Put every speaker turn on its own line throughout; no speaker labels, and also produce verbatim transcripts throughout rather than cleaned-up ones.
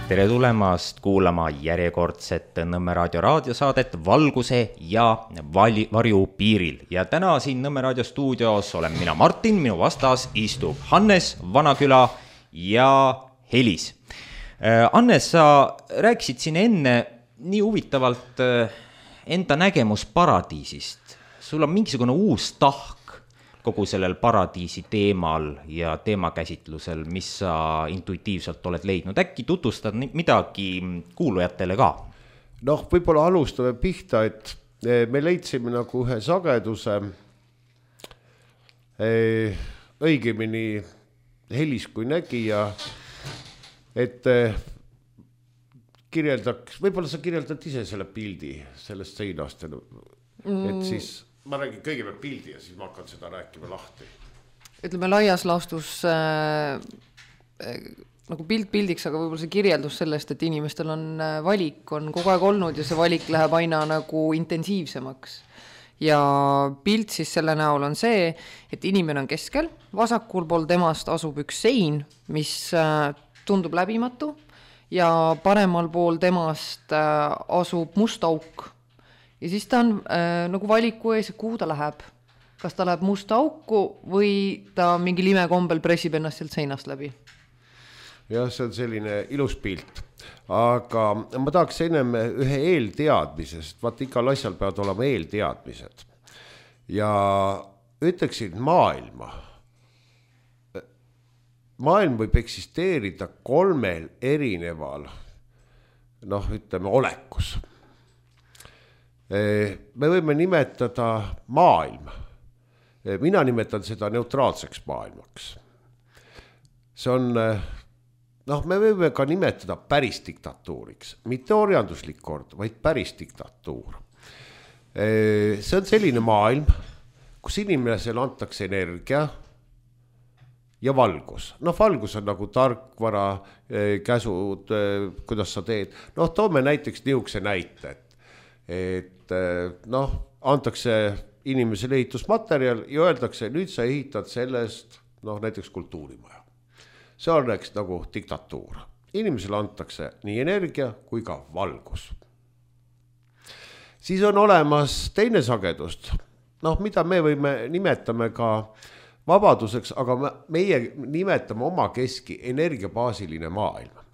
Tere tulemast kuulama järjekordset Nõmme Raadio raadiosaadet Valguse ja vali, varju piiril. Ja täna siin Nõmme Raadio stuudios olen mina Martin, minu vastas istub Hannes Vanaküla ja Helis. Hannes, sa rääkisid siin enne nii huvitavalt enda nägemus paradiisist. Sul on mingisugune uus tahk kogu sellel paradiisi teemal ja teemakäsitlusel, mis sa intuitiivselt oled leidnud. Äkki tutvustad midagi kuulujatele ka?
Noh, võib-olla alustame pihta, et me leidsime nagu ühe sageduse, õigemini Helis kui nägija, et kirjeldaks, võib-olla sa kirjeldad ise selle pildi sellest seinast, et siis ma räägin kõigepealt pildi ja siis ma hakkan seda rääkima lahti.
Ütleme laias laastus äh, äh, nagu pilt pildiks, aga võib-olla see kirjeldus sellest, et inimestel on äh, valik, on kogu aeg olnud ja see valik läheb aina nagu intensiivsemaks. Ja pilt siis selle näol on see, et inimene on keskel, vasakul pool temast asub üks sein, mis äh, tundub läbimatu ja paremal pool temast äh, asub must auk. Ja siis ta on äh, nagu valiku ees, kuhu ta läheb. Kas ta läheb musta auku või ta mingi limekombel pressib ennast sealt seinast läbi?
Jah, see on selline ilus pilt. Aga ma tahaks ennem ühe eelteadmisest. Vaat igal asjal peavad olema eelteadmised. Ja ütleksin maailma. Maailm võib eksisteerida kolmel erineval, noh, ütleme, olekus. Me võime nimetada maailma. Mina nimetan seda neutraalseks maailmaks. See on, noh, me võime ka nimetada päris diktatuuriks. Mitte orjanduslik kord, vaid päris diktatuur. See on selline maailm, kus inimesele antakse energia ja valgus. Noh, valgus on nagu tarkvara, käsud, kuidas sa teed. Noh, toome näiteks niisuguse näite, et noh, antakse inimesele ehitusmaterjal ja öeldakse, nüüd sa ehitad sellest, noh, näiteks kultuurimaja. See on nagu diktatuur. Inimesele antakse nii energia kui ka valgus. Siis on olemas teine sagedust, noh, mida me võime nimetame ka vabaduseks, aga meie nimetame oma keski energiabaasiline maailm.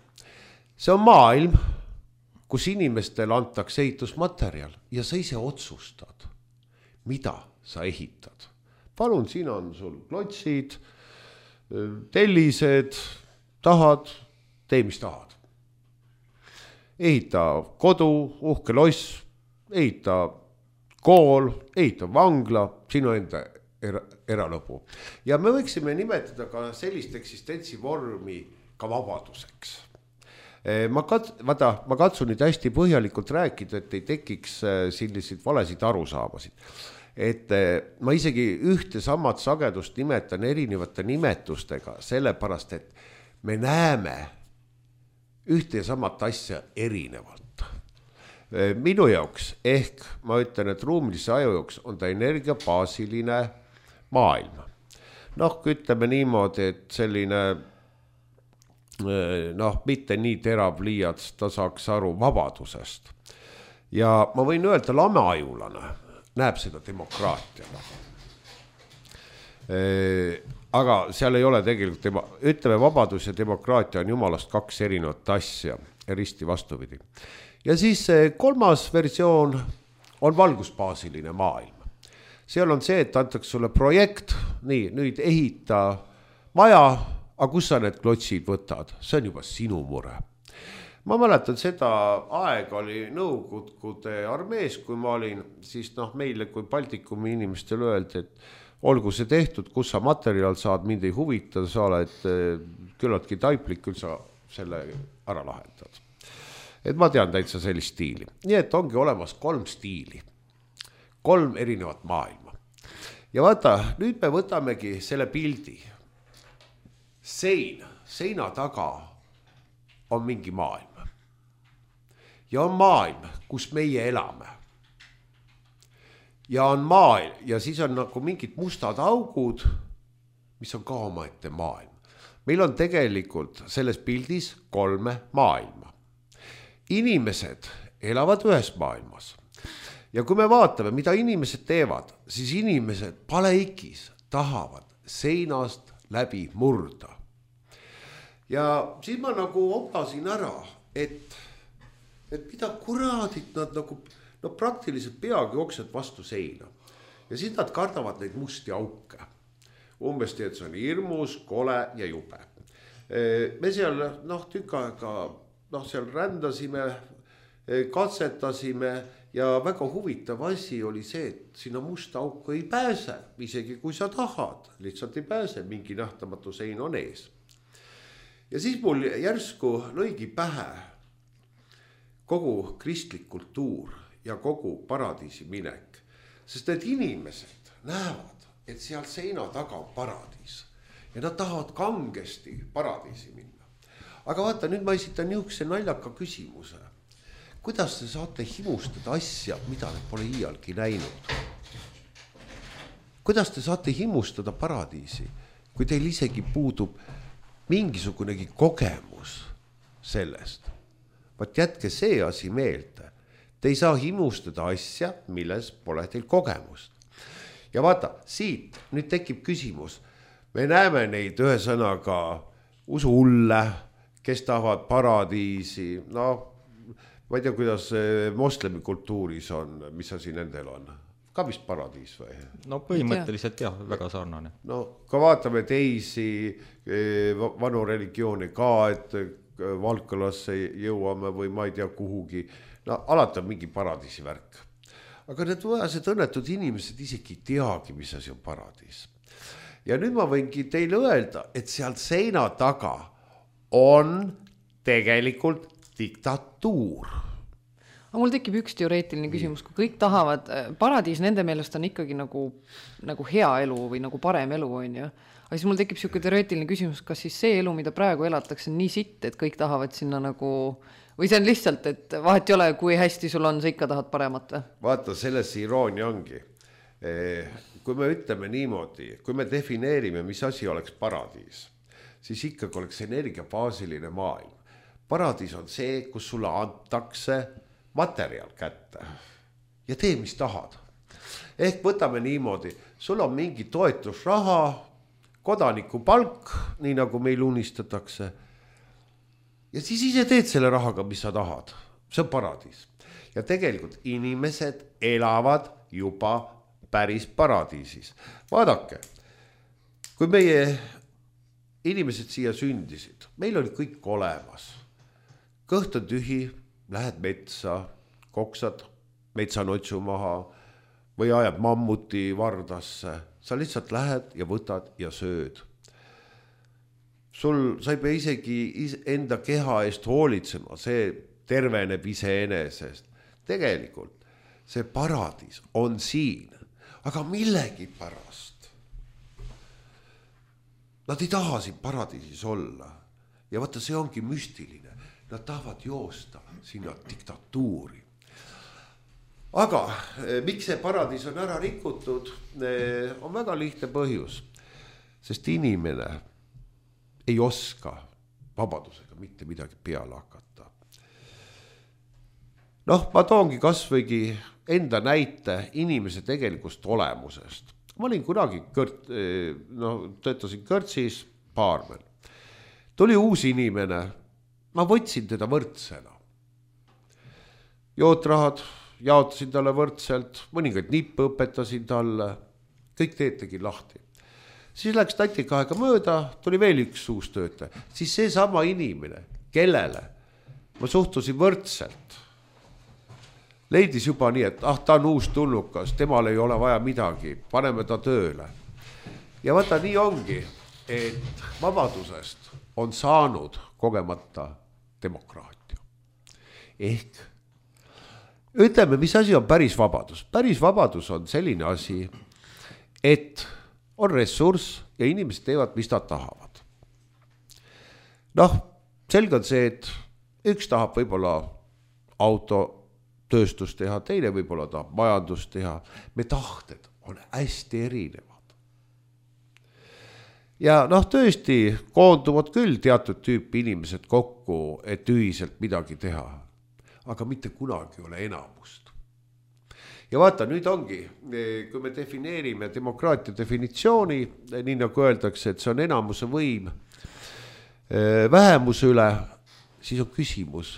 See on maailm, kus inimestel antakse ehitusmaterjal ja sa ise otsustad, mida sa ehitad. Palun, siin on sul klotsid, tellised, tahad, tee mis tahad. Ehita kodu, uhke loss, ehita kool, ehita vangla, sinu enda era, eralõbu. Ja me võiksime nimetada ka sellist eksistentsivormi ka vabaduseks. Ma, kat, vaata, ma katsun nüüd hästi põhjalikult rääkida, et ei tekiks selliseid valesid arusaamasid. Et ma isegi ühte samad sagedust nimetan erinevate nimetustega, sellepärast, et me näeme ühte ja samat asja erinevalt. Minu jaoks, ehk ma ütlen, et ruumilise aju jaoks on ta energiabaasiline maailm. Noh, ütleme niimoodi, et selline noh, mitte nii terav liiats, ta saaks aru vabadusest. Ja ma võin öelda, lameajulane näeb seda demokraatiana. Aga seal ei ole tegelikult, ütleme, vabadus ja demokraatia on jumalast kaks erinevat asja, risti vastupidi. Ja siis kolmas versioon on valgusbaasiline maailm. Seal on see, et antakse sulle projekt, nii, nüüd ehita maja, aga kus sa need klotsid võtad? See on juba sinu mure. Ma mäletan seda aega oli Nõukogude armees, kui ma olin, siis noh, meile kui Baltikumi inimestel öeldi, et olgu see tehtud, kus sa materjal saad, mind ei huvita, sa oled küllaltki taiplik, küll sa selle ära lahendad. Et ma tean täitsa sellist stiili. Nii et ongi olemas kolm stiili, kolm erinevat maailma. Ja vaata, nüüd me võtamegi selle pildi. Sein, seina taga on mingi maailm. Ja on maailm, kus meie elame. Ja on maailm, ja siis on nagu mingid mustad augud, mis on ka omaette maailm. meil on tegelikult selles pildis kolme maailma. Inimesed elavad ühes maailmas. Ja kui me vaatame, mida inimesed teevad, siis inimesed paleikis tahavad seinast läbi murda. Ja siis ma nagu oplasin ära, et, et mida kuradit nad nagu, no praktiliselt peagi jooksevad vastu seina. Ja siis nad kardavad neid musti auke. Umbes teed, see on hirmus, kole ja jube. Me seal noh, tükk aega noh, seal rändasime, katsetasime ja väga huvitav asi oli see, et sinna musta auku ei pääse, isegi kui sa tahad, lihtsalt ei pääse, mingi nähtamatu sein on ees. Ja siis mul järsku lõigi pähe kogu kristlik kultuur ja kogu paradiisi minek, sest need inimesed näevad, et seal seina taga on paradiis ja nad tahavad kangesti paradiisi minna. Aga vaata, nüüd ma esitan niisuguse naljaka küsimuse. Kuidas te saate himustada asja, mida te pole iialgi näinud? Kuidas te saate himustada paradiisi, kui teil isegi puudub mingisugunegi kogemus sellest? Vaat jätke see asi meelde. Te ei saa himustada asja, milles pole teil kogemust. Ja vaata, siit nüüd tekib küsimus. Me näeme neid ühe sõnaga usuhulle, kes tahavad paradiisi. No, ma ei tea, kuidas moslemi kultuuris on, mis asi nendel on. Ka vist paradiis või?
No põhimõtteliselt jah, väga sarnane.
No, kui vaatame teisi vanu religioone ka, et Valkalasse jõuame või ma ei tea kuhugi. No, alati on mingi paradiisi värk. Aga need vaesed õnnetud inimesed isegi ei teagi, mis asi on paradiis. Ja nüüd ma võingi teile öelda, et seal seina taga on tegelikult diktatuur.
Aga mul tekib üks teoreetiline küsimus, kui kõik tahavad, paradiis nende meelest on ikkagi nagu, nagu hea elu või nagu parem elu on ju. Aga siis mul tekib siuke teoreetiline küsimus, kas siis see elu, mida praegu elatakse, on nii sitt, et kõik tahavad sinna nagu... Või see on lihtsalt, et vahet ei ole, kui hästi sul on, sa ikka tahad paremat või?
Vaata, selles iroonia ongi. Kui me ütleme niimoodi, kui me defineerime, mis asi oleks paradiis, siis ikkagi oleks energiabaasiline maailm. Paradiis on see, kus sulle antakse materjal kätte ja tee, mis tahad. Ehk võtame niimoodi, sul on mingi toetusraha, kodaniku palk, nii nagu meil unistatakse. Ja siis ise teed selle rahaga, mis sa tahad. See on paradiis. Ja tegelikult inimesed elavad juba päris paradiisis. Vaadake, kui meie inimesed siia sündisid, meil oli kõik olemas. Kõht on tühi, lähed metsa, koksad metsanotsu maha või ajad mammuti vardasse. Sa lihtsalt lähed ja võtad ja sööd. Sul, sa ei pea isegi enda keha eest hoolitsema, see terveneb iseenesest. Tegelikult see paradiis on siin, aga millegi pärast. Nad ei taha siin paradiisis olla. Ja vaata, see ongi müstiline. Nad tahavad joosta sinna diktatuuri. Aga miks see paradiis on ära rikutud, on väga lihtne põhjus. Sest inimene ei oska vabadusega mitte midagi peale hakata. Noh, ma toongi kasvõigi enda näite inimese tegelikust olemusest. Ma olin kunagi kõrt, no, töötasin kõrtsis baarmen. Tuli uus inimene, ma võtsin teda võrdsena. Jootrahad jaotasin talle võrdselt, mõningaid nippe õpetasin talle, kõik teed tegin lahti. Siis läks tatika aega mööda, tuli veel üks uus töötaja. Siis see sama inimene, kellele ma suhtusin võrdselt, leidis juba nii, et ah, ta on uus tulnukas, temal ei ole vaja midagi, paneme ta tööle. Ja vaata, nii ongi, et vabadusest on saanud kogemata demokraatia. Ehk ütleme, mis asi on päris vabadus. Päris vabadus on selline asi, et on ressurss ja inimesed teevad, mis nad tahavad. Noh, selge on see, et üks tahab võib-olla autotööstust teha, teine võib-olla tahab majandust teha. Me tahted on hästi erinevad. ja noh, tõesti koonduvad küll teatud tüüpi inimesed kokku, et ühiselt midagi teha, aga mitte kunagi ei ole enamust. Ja vaata, nüüd ongi, kui me defineerime demokraatia definitsiooni, nii nagu öeldakse, et see on enamuse võim vähemuse üle, siis on küsimus,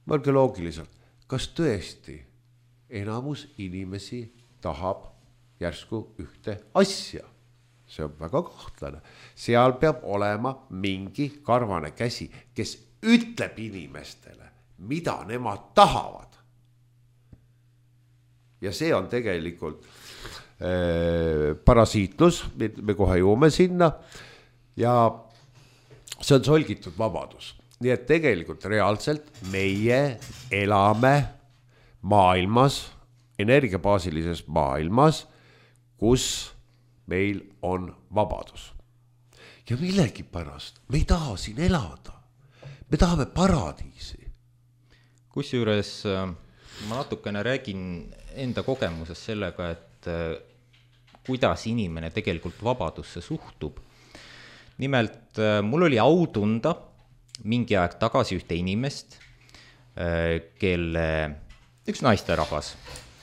mõelge loogiliselt, kas tõesti enamus inimesi tahab järsku ühte asja? See on väga kahtlane. Seal peab olema mingi karvane käsi, kes ütleb inimestele, mida nemad tahavad. Ja see on tegelikult äh, parasiitlus, me kohe jõuame sinna, ja see on solgitud vabadus. Nii et tegelikult reaalselt meie elame maailmas, energiabaasilises maailmas, kus meil on vabadus. Ja millegi pärast me ei taha siin elada. Me tahame paradiisi.
Kusjuures ma natukene räägin enda kogemusest sellega, et kuidas inimene tegelikult vabadusse suhtub. Nimelt mul oli au tunda mingi aeg tagasi ühte inimest, kelle üks naisterahvas,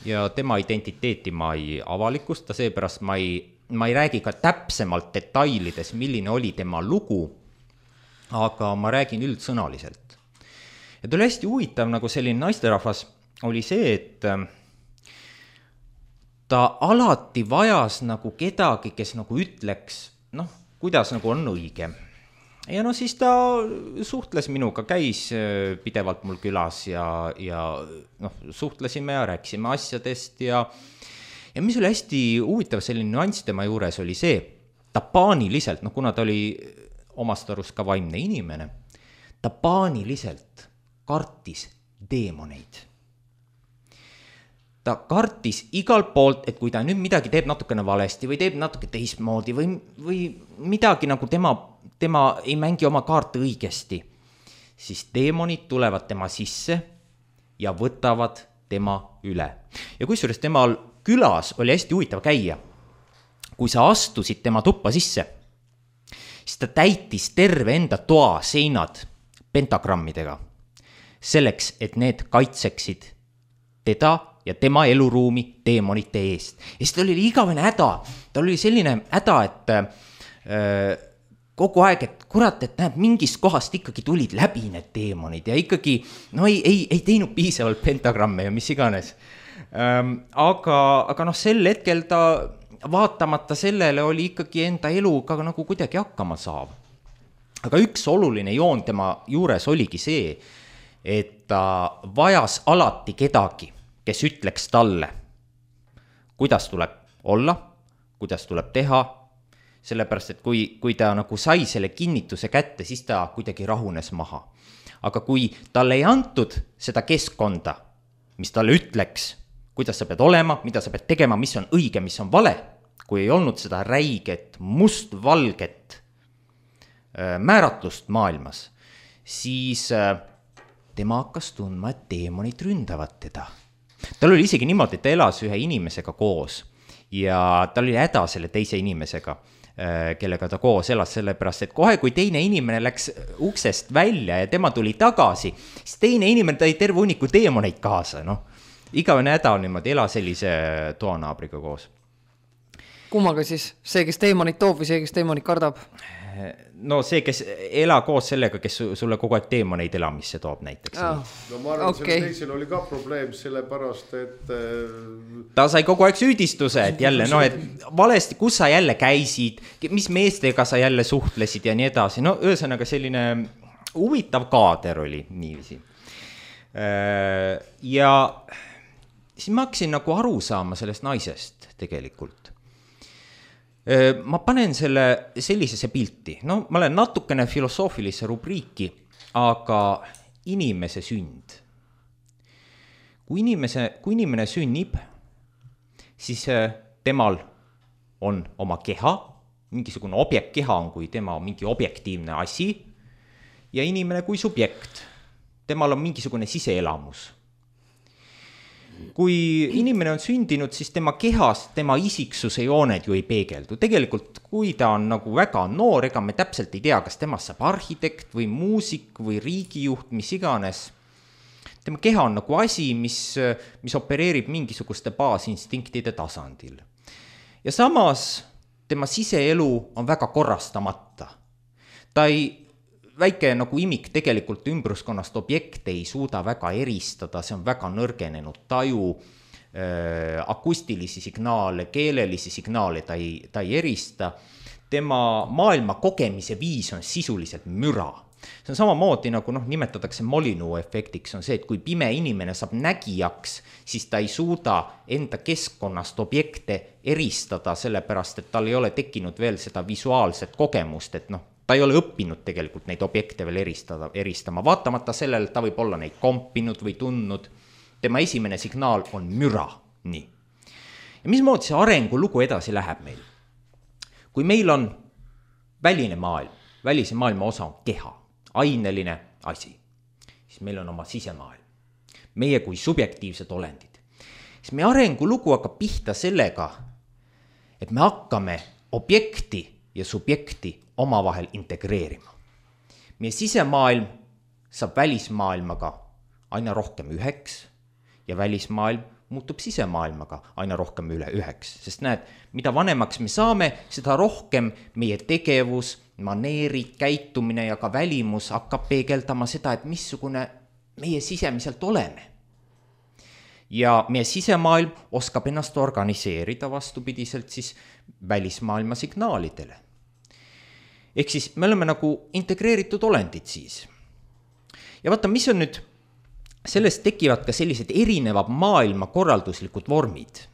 ja tema identiteeti ma ei avalikusta, seepärast ma ei, ma ei räägi ka täpsemalt detailides, milline oli tema lugu, aga ma räägin üldsõnaliselt. Ja ta oli hästi huvitav, nagu selline naisterahvas oli see, et ta alati vajas nagu kedagi, kes nagu ütleks, noh, kuidas nagu on õige. Ja no siis ta suhtles minuga, käis pidevalt mul külas ja, ja noh, suhtlesime ja rääkisime asjadest ja, ja mis oli hästi huvitav selline nüanss tema juures oli see, ta paaniliselt, noh kuna ta oli omast arust ka vaimne inimene, ta paaniliselt kartis deemoneid. Ta kartis igalt poolt, et kui ta nüüd midagi teeb natukene valesti või teeb natuke teistmoodi või, või midagi nagu tema, tema ei mängi oma kaarte õigesti, siis deemonid tulevad tema sisse ja võtavad tema üle. Ja kusjuures temal külas oli hästi huvitav käia. Kui sa astusid tema tuppa sisse, siis ta täitis terve enda toa seinad pentagrammidega, selleks, et need kaitseksid teda ja tema eluruumi deemonite eest. Ja siis tal oli igavene häda, tal oli selline häda, et äh, kogu aeg, et kurat, et näeb, mingist kohast ikkagi tulid läbi need deemonid ja ikkagi no ei, ei, ei teinud piisavalt pentagramme ja mis iganes. Ähm, aga, aga noh, sel hetkel ta vaatamata sellele oli ikkagi enda eluga nagu kuidagi hakkama saav. Aga üks oluline joon tema juures oligi see, et ta vajas alati kedagi, kes ütleks talle, kuidas tuleb olla, kuidas tuleb teha, sellepärast, et kui, kui ta nagu sai selle kinnituse kätte, siis ta kuidagi rahunes maha. Aga kui talle ei antud seda keskkonda, mis talle ütleks, kuidas sa pead olema, mida sa pead tegema, mis on õige, mis on vale, kui ei olnud seda räiget, mustvalget määratlust maailmas, siis tema hakkas tundma, et deemonid ründavad teda. Tal oli isegi niimoodi, et ta elas ühe inimesega koos ja tal oli häda selle teise inimesega, kellega ta koos elas, sellepärast, et kohe kui teine inimene läks uksest välja ja tema tuli tagasi, siis teine inimene tõi terve hunniku deemoneid kaasa, noh. Igavene häda on niimoodi, ela sellise toanaabriga koos.
Kummaga siis? See, kes deemonid toob või see, kes deemonid kardab?
No see, kes ela koos sellega, kes sulle kogu aeg deemoneid elamisse toob näiteks.
Oh,
no ma arvan,
okay.
Selle teisel oli ka probleem sellepärast, et
ta sai kogu aeg süüdistuse, et jälle, no et valesti, kus sa jälle käisid, mis meestega sa jälle suhtlesid ja nii edasi. No ühesõnaga selline huvitav kaader oli niiviisi. Ja siis ma hakkasin nagu aru saama sellest naisest tegelikult. Ma panen selle sellisesse pilti, no ma olen natukene filosoofilisse rubriiki, aga inimese sünd. Kui, inimese, kui inimene sünnib, siis temal on oma keha, mingisugune objekt keha on kui tema mingi objektiivne asi ja inimene kui subjekt, temal on mingisugune siseelamus. kui inimene on sündinud, siis tema kehas, tema isiksuse jooned ju ei peegeldu. Tegelikult, kui ta on nagu väga noor, ega me täpselt ei tea, kas temast saab arhitekt või muusik või riigijuht, mis iganes. Tema keha on nagu asi, mis, mis opereerib mingisuguste baasinstinktide tasandil. Ja samas tema siseelu on väga korrastamata. Ta ei väike nagu imik tegelikult ümbruskonnast objekte ei suuda väga eristada, see on väga nõrgenenud taju, äh, akustilisi signaale, keelelisi signaale ta ei, ta ei erista. Tema maailma kogemise viis on sisuliselt müra. See on samamoodi nagu noh, nimetatakse Molyneux efektiks, on see, et kui pime inimene saab nägijaks, siis ta ei suuda enda keskkonnast objekte eristada, sellepärast, et tal ei ole tekkinud veel seda visuaalset kogemust, et noh, ta ei ole õppinud tegelikult neid objekte veel eristada, eristama, vaatamata sellele, et ta võib olla neid kompinud või tundnud. Tema esimene signaal on müra. Nii. Ja mismoodi see arengulugu edasi läheb meil? Kui meil on väline maailm, välise maailma osa on keha, aineline asi, siis meil on oma sisemaailm, meie kui subjektiivsed olendid. Siis meie arengulugu hakkab pihta sellega, et me hakkame objekti ja subjekti omavahel integreerima. Meie sisemaailm saab välismaailmaga aina rohkem üheks ja välismaailm muutub sisemaailmaga aina rohkem üle üheks. Sest näed, mida vanemaks me saame, seda rohkem meie tegevus, maneerid, käitumine ja ka välimus hakkab peegeldama seda, et missugune meie sisemiselt oleme. Ja meie sisemaailm oskab ennast organiseerida vastupidiselt siis välismaailma signaalidele. Ehk siis me oleme nagu integreeritud olendid siis. Ja vaata, mis on nüüd, sellest tekivad ka sellised erinevad maailma korralduslikud vormid.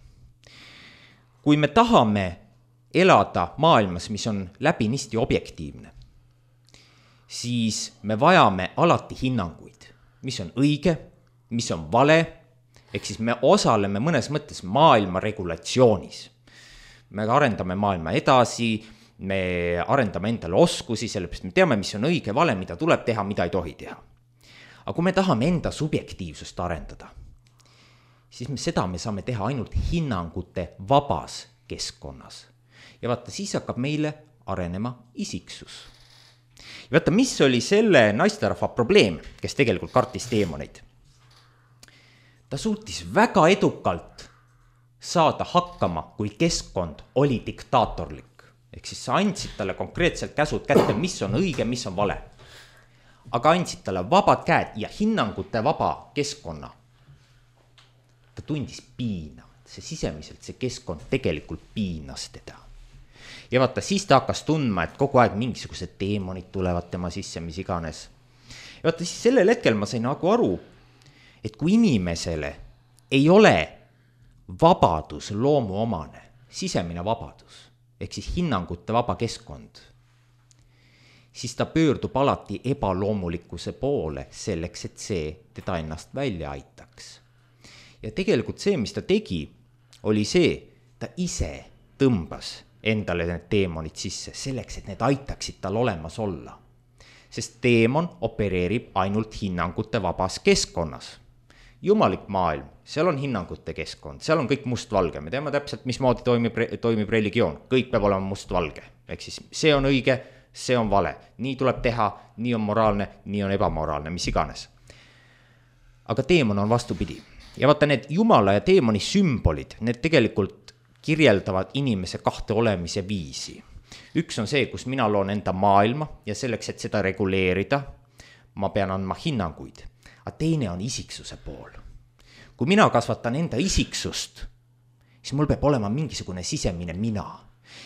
Kui me tahame elada maailmas, mis on läbinisti objektiivne, siis me vajame alati hinnanguid, mis on õige, mis on vale, ehk siis me osaleme mõnes mõttes maailma regulatsioonis. Me arendame maailma edasi, me arendame endale oskusi, sellepärast me teame, mis on õige, vale, mida tuleb teha, mida ei tohi teha. Aga kui me tahame enda subjektiivsust arendada, siis me seda me saame teha ainult hinnangute vabas keskkonnas. Ja vaata, siis hakkab meile arenema isiksus. Ja vaata, mis oli selle naisterahva probleem, kes tegelikult kartis teemoneid. Ta suutis väga edukalt saada hakkama, kui keskkond oli diktaatorlik. Ehk siis sa andsid talle konkreetselt käsud kätte, mis on õige, mis on vale. Aga andsid talle vabad käed ja hinnangute vaba keskkonna. Ta tundis piina. See sisemiselt, see keskkond tegelikult piinas teda. Ja vaata, siis ta hakkas tundma, et kogu aeg mingisugused teemonid tulevad tema sisse, mis iganes. Ja vaata, siis sellel hetkel ma sain nagu aru, et kui inimesele ei ole vabadus loomu omane, sisemine vabadus, ehk siis hinnangute vaba keskkond, siis ta pöördub alati ebaloomulikkuse poole selleks, et see teda ennast välja aitaks. Ja tegelikult see, mis ta tegi, oli see, ta ise tõmbas endale need teemonid sisse, selleks, et need aitaksid tal olemas olla. Sest teemon opereerib ainult hinnangute vabas keskkonnas. Jumalik maailm, seal on hinnangute keskkond, seal on kõik must-valge, me teame täpselt, mismoodi toimib, toimib religioon, kõik peab olema must-valge, ehk siis see on õige, see on vale, nii tuleb teha, nii on moraalne, nii on ebamoraalne, mis iganes. Aga teemon on vastupidi. Ja vaata, need Jumala ja teemoni sümbolid, need tegelikult kirjeldavad inimese kahte olemise viisi. Üks on see, kus mina loon enda maailma ja selleks, et seda reguleerida, ma pean andma hinnanguid. Aga teine on isiksuse pool. Kui mina kasvatan enda isiksust, siis mul peab olema mingisugune sisemine mina.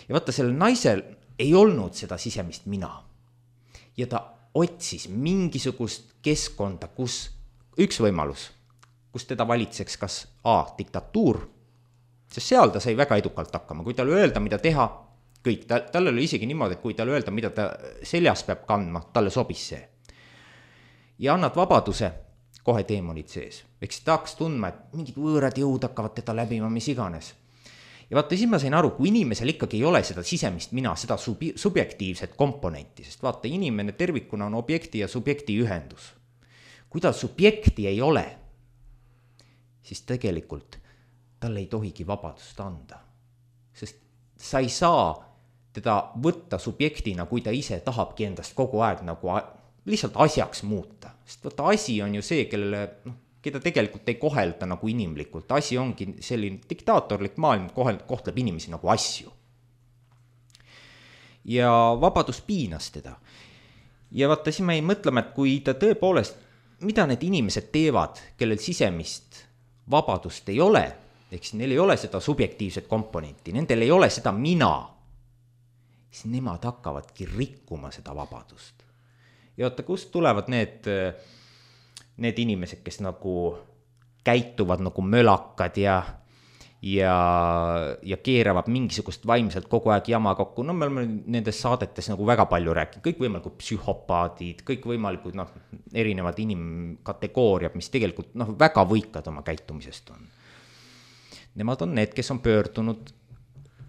Ja vaata, sellel naisel ei olnud seda sisemist mina. Ja ta otsis mingisugust keskkonda, kus üks võimalus, kus teda valitseks kas A, diktatuur, sest seal ta sai väga edukalt hakkama. Kui tal öelda, mida teha, kõik, tal oli isegi niimoodi, et kui tal öelda, mida ta seljas peab kandma, talle sobis see. Ja annad vabaduse, kohe teemonid sees. Ehk siis ta hakkas tundma, et mingid võõrad jõud hakkavad teda läbima, mis iganes. Ja vaata, siis ma sain aru, kui inimesel ikkagi ei ole seda sisemist mina, seda subi, subjektiivset komponenti, sest vaata, inimene tervikuna on objekti ja subjekti ühendus. Kui ta subjekti ei ole, siis tegelikult talle ei tohigi vabadust anda. Sest sa ei saa teda võtta subjektina, kui ta ise tahabki endast kogu aeg nagu lihtsalt asjaks muuta. Sest võtta asi on ju see, kellele, noh, keda tegelikult ei kohelda nagu inimlikult. Asi ongi selline diktaatorlik maailm, kohtleb inimesi nagu asju. Ja vabadus piinas teda. Ja vaata, siis me ei mõtleme, et kui ta tõepoolest, mida need inimesed teevad, kellel sisemist vabadust ei ole, eks neil ei ole seda subjektiivset komponenti, nendel ei ole seda mina, siis nemad hakkavadki rikkuma seda vabadust. Ja vaata, kust tulevad need, need inimesed, kes nagu käituvad nagu mölakad ja, ja, ja keeravad mingisugust vaimselt kogu aeg jama kokku. No me oleme nendes saadetes nagu väga palju rääkinud, kõik võimalikud psühhopaadid, kõik võimalikud noh, erinevad inimkategooriad, mis tegelikult noh, väga võikad oma käitumisest on. Nemad on need, kes on pöördunud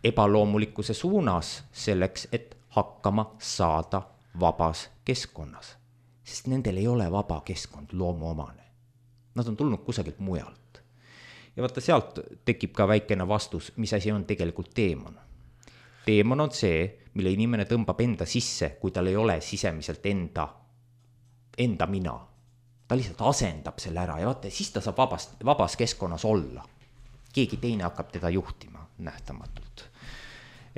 ebaloomulikkuse suunas selleks, et hakkama saada vabas keskkonnas. Sest nendel ei ole vaba keskkond loomuomane. Nad on tulnud kusagilt mujalt. Ja vaata, sealt tekib ka väikene vastus, mis asi on tegelikult teemon. Teemon on see, mille inimene tõmbab enda sisse, kui tal ei ole sisemiselt enda, enda mina. Ta lihtsalt asendab selle ära ja vaata, siis ta saab vabas, vabas keskkonnas olla. Keegi teine hakkab teda juhtima nähtamatult.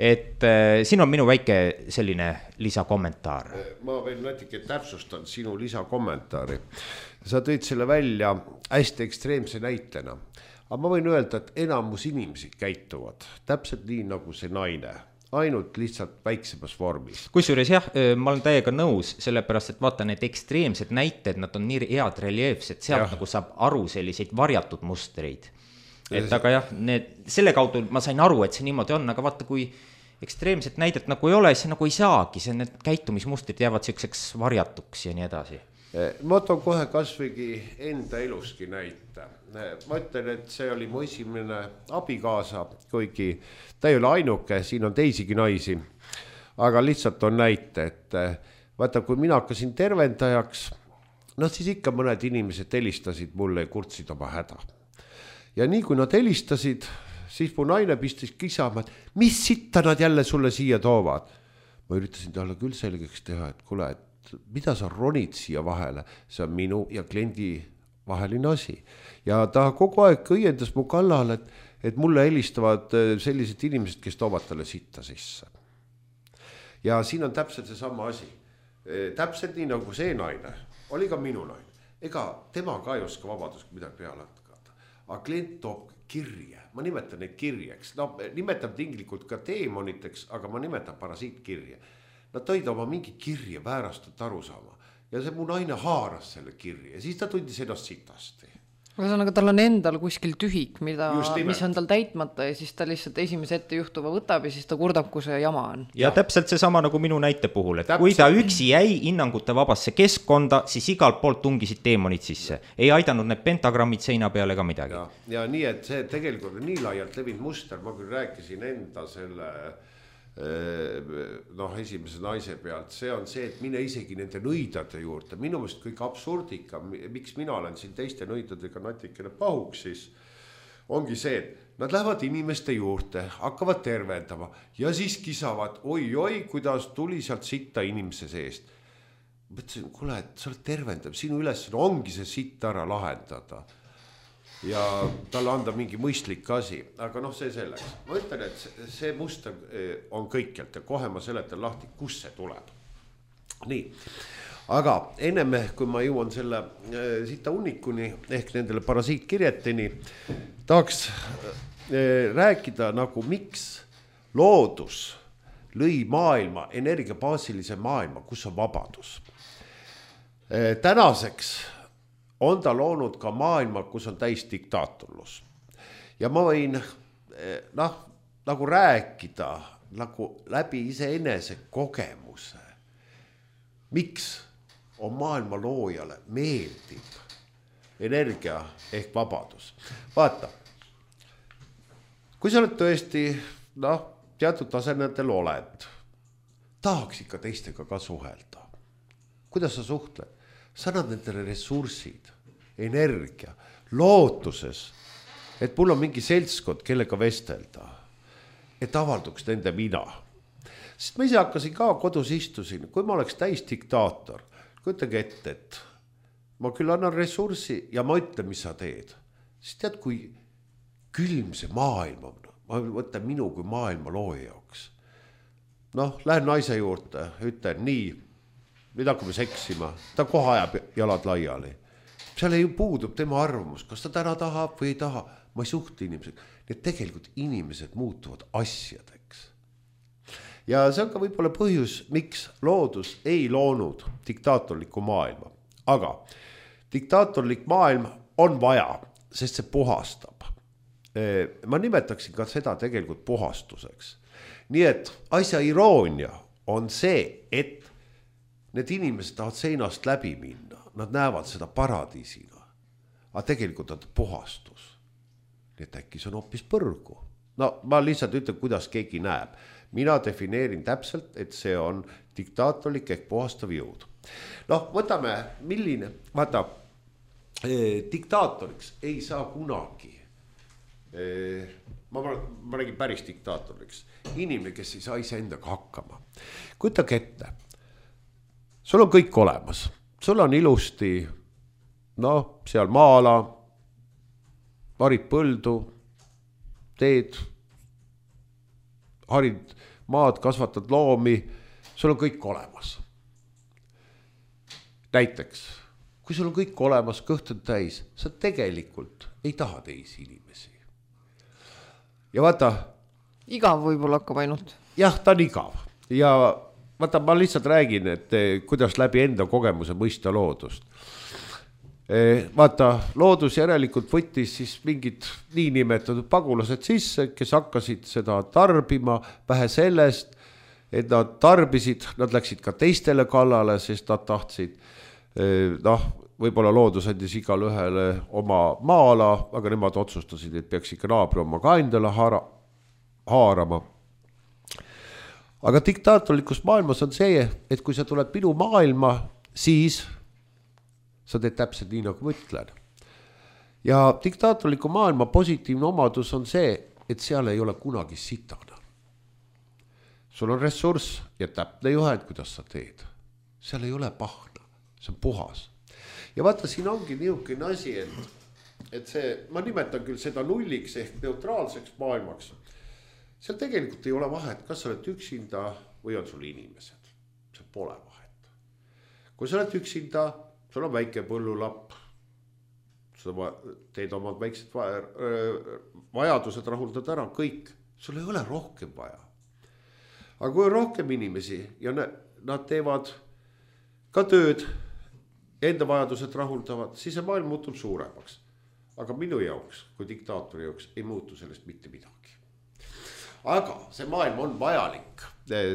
Et äh, siin on minu väike selline lisakommentaar.
Ma veel natuke täpsustan sinu lisakommentaari. Sa tõid selle välja hästi ekstreemse näitena. Aga ma võin öelda, et enamus inimesi käituvad täpselt nii nagu see naine, ainult lihtsalt väiksemas vormis.
Kusjuures jah, ma olen täiega nõus, sellepärast, et vaata need ekstreemsed näited, nad on nii head reljeefsed, sealt jah. Nagu saab aru selliseid varjatud mustreid. Et aga jah, need, selle kaudu ma sain aru, et see niimoodi on, aga vaata, kui ekstreemset näidet nagu ei ole, see nagu ei saagi, see need käitumismustrid jäävad selliseks varjatuks ja nii edasi.
Ma toon kohe kasvõigi enda eluski näite. Ma ütlen, et see oli mu esimene abikaasa, kuigi ta ei ole ainuke, siin on teisigi naisi, aga lihtsalt on näite, et vaata, kui mina hakkasin tervendajaks, no siis ikka mõned inimesed helistasid mulle ja kurtsid oma häda. Ja nii kui nad helistasid, siis mu naine pistis kisama, et mis sitta nad jälle sulle siia toovad. Ma üritasin talle küll selgeks teha, et kuule, et mida sa ronid siia vahele, see on minu ja kliendi vaheline asi. Ja ta kogu aeg õiendas mu kallal, et, et mulle helistavad sellised inimesed, kes toovad talle sitta sisse. Ja siin on täpselt see sama asi. Täpselt nii nagu see naine, oli ka minu naine. Ega tema ka ei oska vabadust midagi peale hatkata. Aga klient toob kirje, ma nimetan neid kirjeks, no nimetan tinglikult ka teemoniteks, aga ma nimetan parasiitkirje. Nad tõid oma mingi kirje väärastut aru saama ja see mu naine haaras selle kirje ja siis ta tundis ennast sitasti.
Ühesõnaga, tal on endal kuskil tühik, mida, mis on tal täitmata ja siis ta lihtsalt esimese ette juhtuva võtab ja siis ta kurdab, kui see jama on.
Ja, ja täpselt see sama nagu minu näite puhul, et täpselt. Kui ta üksi jäi hinnangute vabasse keskkonda, siis igalt poolt tungisid teemonid sisse. Ei aidanud need pentagrammid seina peale ka midagi.
Ja, ja nii, et see tegelikult on nii laialt levinud muster, ma küll rääkisin enda selle noh, esimese naise pealt, see on see, et mine isegi nende nõidade juurde, minu meelest kõik absurdika, miks mina olen siin teiste nõidadega natikene pahuks, siis ongi see, et nad lähevad inimeste juurde, hakkavad tervendama ja siis kisavad, oi-oi, kuidas tuli sealt sitta inimese seest. Mõtlesin, kuule, et sa oled tervendab, sinu üles ongi see sitta ära lahendada ja talle anda mingi mõistlik asi, aga noh, see selleks. Ma ütlen, et see muster on kõikjalt ja kohe ma seletan lahti, kus see tuleb. Nii, aga enne, kui ma jõuan selle sita unnikuni ehk nendele parasiitkirjeteni, tahaks rääkida nagu miks loodus lõi maailma, energiabaasilise maailma, kus on vabadus. Tänaseks on ta loonud ka maailma, kus on täis diktaatorlus. Ja ma võin noh, nagu rääkida nagu läbi iseenese kogemuse. Miks on maailma loojale meeldib energia ehk vabadus? Vaata, kui sa oled tõesti noh, teatud tasemetel oled, tahaks ikka teistega ka suhelda. Kuidas sa suhtled? Sa annad nendele ressursid, energia, lootuses, et mul on mingi seltskond, kellega vestelda, et avalduks nende mina. Sest ma ise hakkasin ka kodus istusin, kui ma oleks täis diktaator, kujutage ette, et ma küll annan ressurssi ja ma ütlen, mis sa teed. Siis tead, kui külm see maailm on, ma võtan minu kui maailma looja jaoks. Noh, lähen naise juurde, ütlen nii, nüüd hakkame seksima, ta kohe ajab jalad laiali. Seal ei puudub tema arvamus, kas ta täna tahab või ei taha. Ma ei suhte inimesed. Need tegelikult inimesed muutuvad asjadeks. Ja see on ka võib-olla põhjus, miks loodus ei loonud diktaatorlikku maailma. Aga diktaatorlik maailm on vaja, sest see puhastab. Ma nimetaksin ka seda tegelikult puhastuseks. Nii et asja iroonia on see, et need inimesed tahavad seinast läbi minna. Nad näevad seda paradiisina. Aga tegelikult on puhastus. Nii et äkki see on hoopis põrgu. No ma lihtsalt ütlen, kuidas keegi näeb. Mina defineerin täpselt, et see on diktaatorlik ehk puhastav jõud. Noh, võtame milline, vaata, eh, diktaatoriks ei saa kunagi. Eh, ma, ma räägin päris diktaatoriks. Inimene, kes ei saa ise endaga hakkama. Kujutage ette. Sul on kõik olemas. Sul on ilusti, noh, seal maala, varid põldu, teed, harid maad, kasvatad loomi, sul on kõik olemas. Näiteks, kui sul on kõik olemas, kõht on täis, sa tegelikult ei taha teisi inimesi. Ja vaata...
Igav võib-olla hakkab ainult.
Jah, ta on igav. Ja vaata, ma lihtsalt räägin, et kuidas läbi enda kogemuse mõista loodust. Vaata, loodus järelikult võttis siis mingid niinimetatud pagulased sisse, kes hakkasid seda tarbima, vähe sellest, et nad tarbisid, nad läksid ka teistele kallale, sest nad tahtsid, noh, võib-olla loodus andis igal ühele oma maala, aga nemad otsustasid, et peaks ikka naabri oma ka endale haara, haarama. Aga diktaatorlikus maailmas on see, et kui sa tuled minu maailma, siis sa teed täpselt nii, nagu ma ütlen. Ja diktaatorliku maailma positiivne omadus on see, et seal ei ole kunagi sitana. Sul on ressurss ja täpne juhend, kuidas sa teed. Seal ei ole pahna, see on puhas. Ja vaata, siin ongi niisugune asi, et, et see, ma nimetan küll seda nulliks ehk neutraalseks maailmaks. Seal tegelikult ei ole vahet, kas sa oled üksinda või on sul inimesed. See pole vahet. Kui sa oled üksinda, sul on väike põllulapp, sa teed omad väiksed vajadused, rahuldad ära, kõik. Sul ei ole rohkem vaja. Aga kui on rohkem inimesi ja nad teevad ka tööd, enda vajadused rahuldavad, siis see maailm muutub suuremaks. Aga minu jaoks, kui diktaatori jaoks, ei muutu sellest mitte midagi. Aga see maailm on vajalik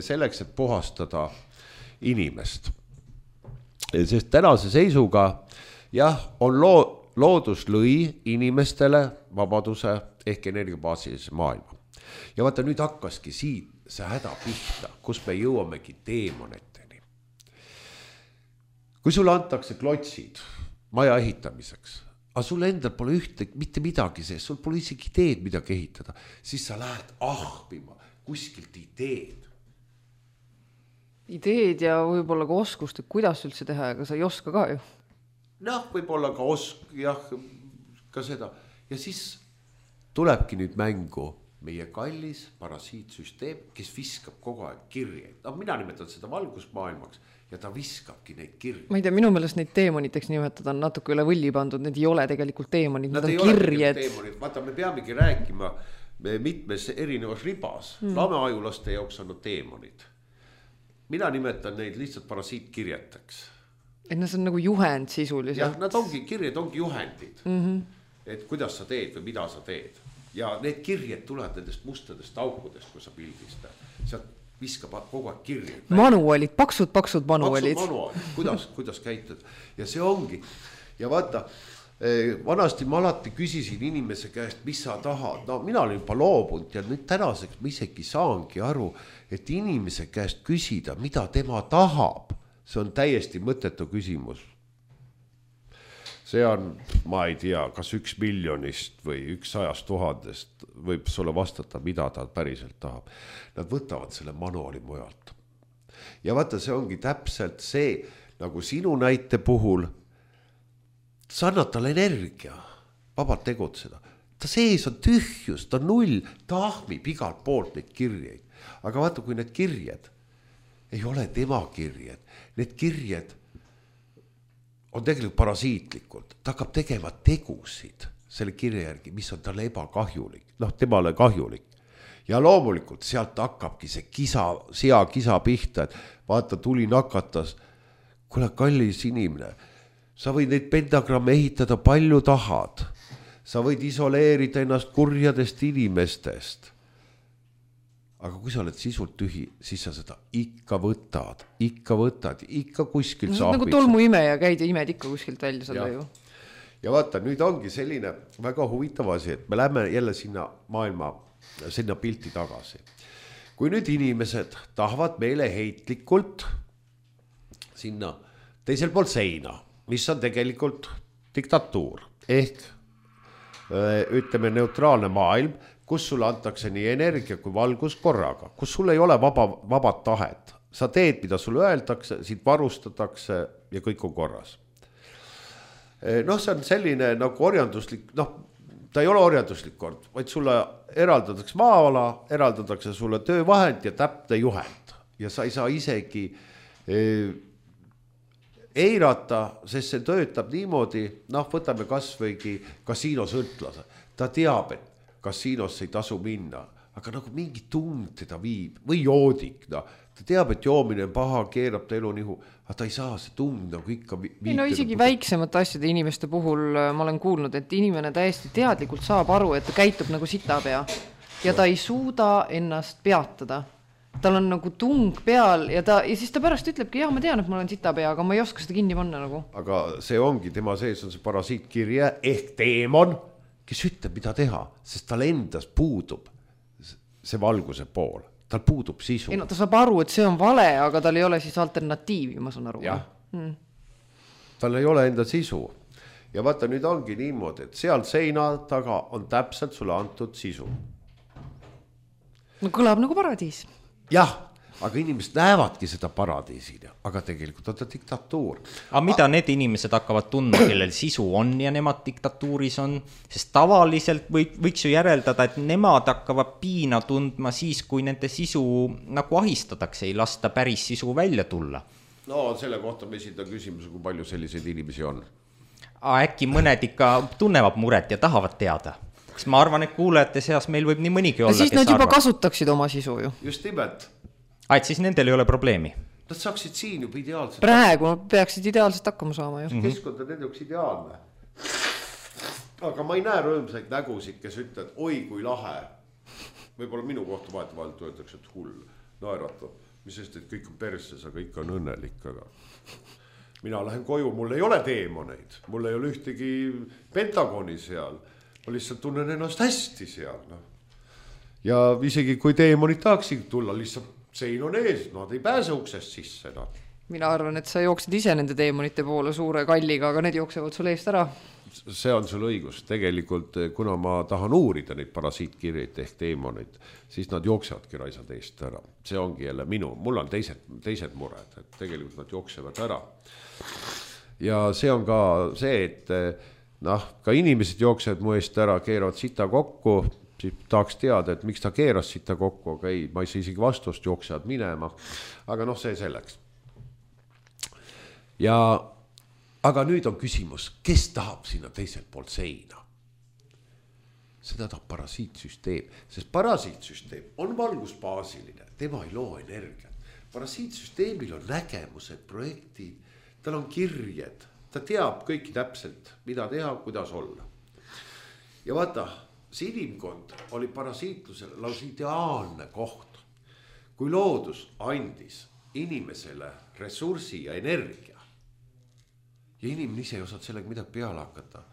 selleks, et puhastada inimest. Sest tänase seisuga, jah, on loo, loodus lõi inimestele vabaduse ehk energiabaasilise maailma. Ja vaata, nüüd hakkaski siit see häda pihta, kus me jõuamegi teemoneteni. Kui sulle antakse klotsid maja ehitamiseks, aga sul endal pole ühte, mitte midagi sees, sul pole isegi ideed midagi ehitada, siis sa lähed ahvima kuskilt ideed. Ideed
ja võib-olla ka oskust, et kuidas üldse teha, aga sa ei oska ka ju.
Noh, võib-olla ka osk, jah, ka seda. Ja siis tulebki nüüd mängu meie kallis parasiitsüsteem, kes viskab kogu aeg kirjeid. No, mina nimetan seda valgusmaailmaks. Ja ta viskabki neid kirjeid. Ma
ei tea, minu meelest neid teemoniteks nimetada on natuke üle võlli pandud, need ei ole tegelikult teemonid, nad, nad on kirjed.
Vaata, me peamegi rääkima mitmes erinevas ribas. Mm. Lameajulaste jaoks on nad teemonid. Mina nimetan neid lihtsalt parasiitkirjeteks.
Et nad on nagu juhend sisuliselt.
Jah, nad ongi, kirjed ongi juhendid. Mm-hmm. Et kuidas sa teed või mida sa teed. Ja need kirjed tulevad nendest mustadest aukudest, kui sa pildistad. Sealt viskab kogu aeg kirjeid.
Manualid, paksud, paksud manualid.
Paksud manualid, kuidas, kuidas käitud. Ja see ongi. Ja vaata, vanasti ma alati küsisin inimese käest, mis sa tahad. No mina olen juba loobunud ja nüüd tänaseks ma isegi saangi aru, et inimese käest küsida, mida tema tahab. See on täiesti mõttetu küsimus. see on, ma ei tea, kas üks miljonist või üks sajast tuhandest võib sulle vastata, mida ta päriselt tahab. Nad võtavad selle manuaali mujalt. Ja vaata, see ongi täpselt see, nagu sinu näite puhul, sa annad talle energia, vabalt tegutseda. Ta sees on tühjus, ta null, ta ahmib igalt poolt neid kirjeid. Aga vaata, kui need kirjed ei ole tema kirjed, need kirjed on tegelikult parasiitlikult, ta hakkab tegema tegusid selle kirja järgi, mis on talle ebakahjulik, noh, temale kahjulik. Ja loomulikult sealt hakkabki see kisa, sea kisa pihta, et vaata, tuli nakatas, kuule kallis inimene, sa võid neid pentagramme ehitada palju tahad, sa võid isoleerida ennast kurjadest inimestest. Aga kui sa oled sisult tühi, siis sa seda ikka võtad, ikka võtad, ikka kuskilt
no,
saabid.
Nagu tolmu ime ja käid ja imed ikka kuskilt välja seda ju.
Ja vaata, nüüd ongi selline väga huvitav asi, et me lähme jälle sinna maailma, sinna pilti tagasi. Kui nüüd inimesed tahavad meeleheitlikult sinna teisel pool seina, mis on tegelikult diktatuur, ehk ütleme neutraalne maailm, kus sulle antakse nii energia kui valgus korraga, kus sul ei ole vaba, vabad tahet. Sa teed, mida sulle öeldakse, siit varustatakse ja kõik on korras. Noh, see on selline nagu orjanduslik, noh, ta ei ole orjanduslik kord, vaid sulle eraldatakse maa-ala, eraldatakse sulle töövahend ja täpne juhend. Ja sa ei saa isegi eh, eirata, sest see töötab niimoodi, noh, võtame kas võigi kasiinosõltlase. Ta teab, et kasiinosse ei tasu minna, aga nagu mingi tund teda viib või joodik, no. Ta teab, et joomine on paha, keerab ta elu nihu, aga ta ei saa see tund nagu ikka viita.
No isegi nagu väiksemate asjade inimeste puhul ma olen kuulnud, et inimene täiesti teadlikult saab aru, et ta käitub nagu sitapea ja ta ei suuda ennast peatada. Tal on nagu tung peal ja, ta, ja siis ta pärast ütlebki, jah, ma tean, et ma olen sitapea, aga ma ei oska seda kinni panna nagu. Aga
see ongi, tema sees on see parasiitkirje ehk teemon, kes ütleb, mida teha, sest tal endas puudub see valguse pool. Tal puudub sisu. Ei, no, ta saab aru, et see on vale, aga tal ei ole siis alternatiivi, ma saan aru. Jah. Hmm. Tal ei ole enda sisu. Ja vaata, nüüd ongi niimoodi, et seal seina taga on täpselt sulle antud sisu.
No kõlab nagu paradiis.
Jah, aga inimesed näevadki seda paradiisina, aga tegelikult on ta diktatuur.
Aga mida a- need inimesed hakkavad tundma, kellel sisu on ja nemad diktatuuris on? Sest tavaliselt või, võiks ju järeldada, et nemad hakkavad piina tundma siis, kui nende sisu nagu ahistatakse, ei lasta päris sisu välja tulla.
No selle kohta me esitan küsimuse, kui palju selliseid inimesi on.
A, äkki mõned ikka tunnevad muret ja tahavad teada. Kas ma arvan, et kuulajate seas meil võib nii mõnigi olla,
siis nad juba arvad. Kasutaksid oma sisu ju.
Just nimelt.
Ah, et siis nendel ei ole probleemi.
Nad saaksid siin juba ideaalselt.
Praegu peaksid ideaalselt hakkama saama ju.
Mm-hmm. Keskkond on nende üks ideaalne. Aga ma ei näe rõõmsaid nägusid, kes ütlevad, oi kui lahe. Võib-olla minu kohta vahetavalt öeldakse, et hull, naeratab. Mis sest, et kõik on perses, aga ikka on õnnelik. Aga mina lähen koju, mul ei ole teemoneid. Mul ei ole ühtegi pentagoni seal. Ma lihtsalt tunnen ennast hästi seal. No. Ja isegi kui teemonid tahaksid tulla, lihtsalt sein on ees, nad ei pääse uksest sisse. No.
Mina arvan, et sa jooksid ise nende teemonite poole suure kalliga, aga need jooksevad sul eest ära.
See on sul õigus. Tegelikult, kuna ma tahan uurida neid parasiitkirjeid ehk teemonid, siis nad jooksevadki raisad eest ära. See ongi jälle minu, mul on teised, teised mured, et tegelikult nad jooksevad ära. Ja see on ka see, et noh, ka inimesed jooksevad mu eest ära, keeravad sita kokku, siis tahaks teada, et miks ta keeras sita kokku, aga ei, ma ei saa isegi vastust, jooksevad minema. Aga noh, see selleks. Ja, aga nüüd on küsimus, kes tahab sinna teiselt poolt seina? Seda tahab parasiitsüsteem, sest parasiitsüsteem on valgusbaasiline, tema ei loo energiat. Parasiitsüsteemil on nägemused, projektid, tal on kirjed, ta teab kõiki täpselt, mida teha, kuidas olla. Ja vaata, see inimkond oli parasiitlusele laus ideaalne koht, kui loodus andis inimesele ressursi ja energia. Ja inimene ise ei osad sellega midagi peale hakata.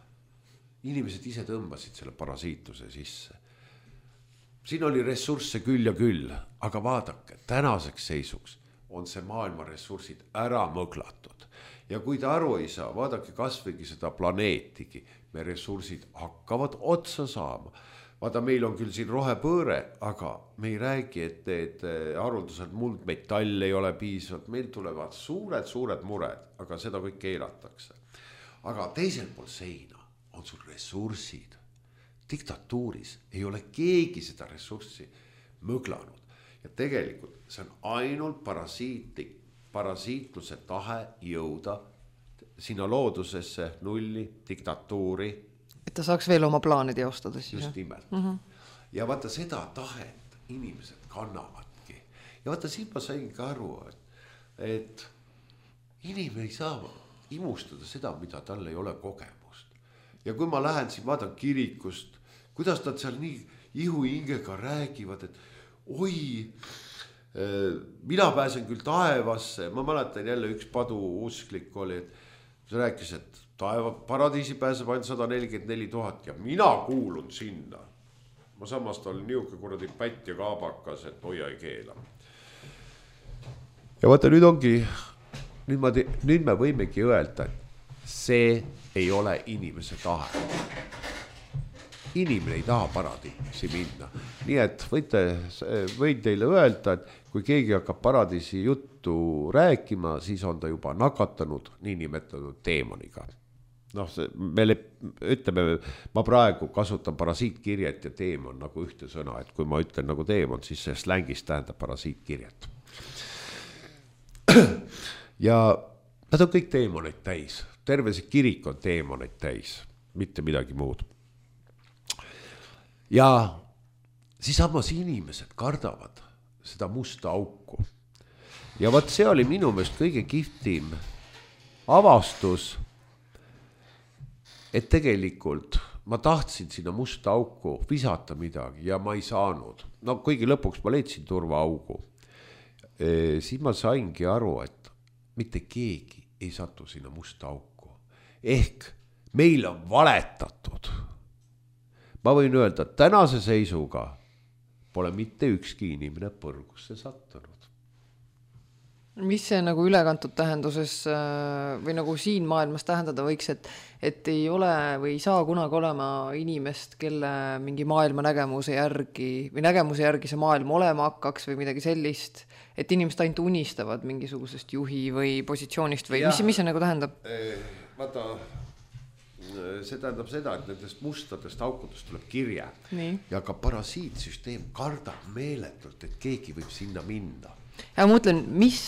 Inimesed ise tõmbasid selle parasiitluse sisse. Siin oli ressursse küll ja küll, aga vaadake, tänaseks seisuks on see maailma ressursid ära mõglatud. ja kui ta aru ei saa, vaadake kasvõigi seda planeetigi, me ressursid hakkavad otsa saama. Vaata, meil on küll siin rohepööre, aga me ei räägi, et need haruldased muldmetall ei ole piisavalt, meil tulevad suured, suured mured, aga seda kõik keelatakse. Aga teisel pool seina on sul ressursid. Diktatuuris ei ole keegi seda ressurssi mõglanud. Ja tegelikult see on ainult parasiitlik, parasiitluse tahe jõuda sinna loodusesse, nulli, diktatuuri.
Et ta saaks veel oma plaane teostada siis.
Just nimelt. Mm-hmm. Ja vaata seda tahet inimesed kannavadki. Ja vaata siin ma saingi aru, et, et inimene ei saa imustada seda, mida tal ei ole kogemust. Ja kui ma lähen siin, vaatan kirikust, kuidas nad seal nii ihu hingega räägivad, et oi, mina pääsen küll taevasse, ma mäletan jälle üks padu usklik oli, et see rääkis, et taeva, paradiisi pääseb ainult sada nelikümmend neli tuhat ja mina kuulun sinna. Ma samast olin niuke kuradi pätt ja kaabakas, et hoia ei keela. Ja vaata, nüüd ongi, nüüd, ma te, nüüd me võimegi öelda, et see ei ole inimese tahe. Inimene ei taha paradiisi minna. Nii et võite, võin teile öelda, et kui keegi hakkab paradiisi juttu rääkima, siis on ta juba nakatanud niinimetatud teemoniga. Noh, see, me ütleme, ma praegu kasutan parasiitkirjet ja teemon nagu ühte sõna, et kui ma ütlen nagu teemon, siis see slängis tähendab parasiitkirjet. Ja nad on kõik teemoneid täis. Terve see kirik on teemoneid täis, mitte midagi muud. Ja siis samas inimesed kardavad seda musta auku. Ja vaat see oli minu meelest kõige kihvtim avastus, et tegelikult ma tahtsin sinna musta auku visata midagi ja ma ei saanud. No kuigi lõpuks ma leidsin turvaaugu. E, siis ma saingi aru, et mitte keegi ei satu sinna musta auku. Ehk meil on valetatud. Ma võin öelda, et tänase seisuga pole mitte ükski inimene põrgusse sattunud.
Mis see nagu ülekantud tähenduses või nagu siin maailmas tähendada võiks, et, et ei ole või ei saa kunagi olema inimest, kelle mingi maailma nägemuse järgi või nägemuse järgi see maailm olema hakkaks või midagi sellist, et inimesed ainult unistavad mingisugusest juhi või positsioonist või ja, mis, mis see nagu tähendab?
Vaata, see tähendab seda, et nendest mustadest aukudest tuleb kirja. Nii. Ja ka parasiitsüsteem kardab meeletult, et keegi võib sinna minna.
Ja ma mõtlen, mis,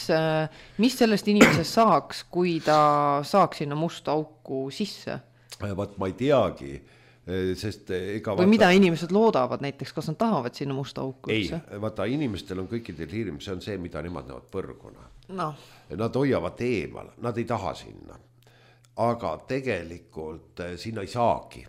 mis sellest inimesest saaks, kui ta saaks sinna musta auku sisse?
Vaat ma ei teagi, sest ega...
Või vaata... mida inimesed loodavad näiteks, kas nad tahavad sinna musta auku?
Ei, vaata inimestel on kõikidel hirm, see on see, mida nemad näevad põrguna.
No.
Nad hoiavad eemal, nad ei taha sinna. Aga tegelikult sinna ei saagi.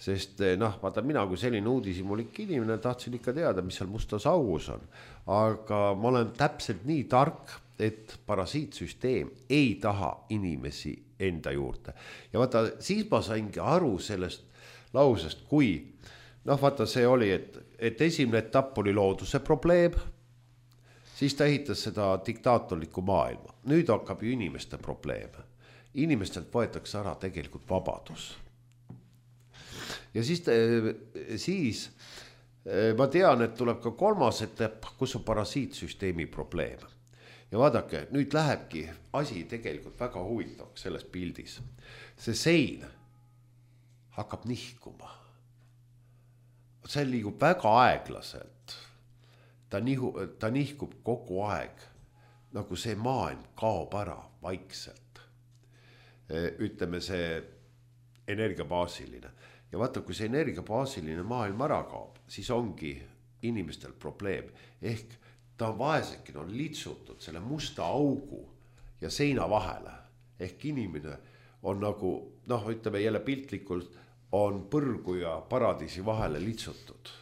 Sest noh, vaata mina kui selline uudisimulik inimene tahtsin ikka teada, mis seal mustas augus on. Aga ma olen täpselt nii tark, et parasiitsüsteem ei taha inimesi enda juurde. Ja vaata, siis ma saingi aru sellest lausest, kui, noh vaata see oli, et, et esimene etapp oli looduse probleem, siis ta ehitas seda diktaatorlikku maailma. Nüüd hakkab ju inimeste probleem. Inimestelt võetakse ära tegelikult vabadus. Ja siis, siis ma tean, et tuleb ka kolmas etapp, kus on parasiitsüsteemi probleem. Ja vaadake, nüüd lähebki asi tegelikult väga huvitavaks selles pildis. See sein hakkab nihkuma. See liigub väga aeglaselt. Ta, nihu, ta nihkub kogu aeg, nagu see maailm kaob ära vaikselt. Ütleme see energiabaasiline. Ja vaata, kui see energiabaasiline maailm ära kaob, siis ongi inimestel probleem. Ehk ta on vaesekin, on litsutud selle musta augu ja seina vahele. Ehk inimene on nagu, noh, ütleme jälle piltlikult, on põrgu ja paradiisi vahele litsutud.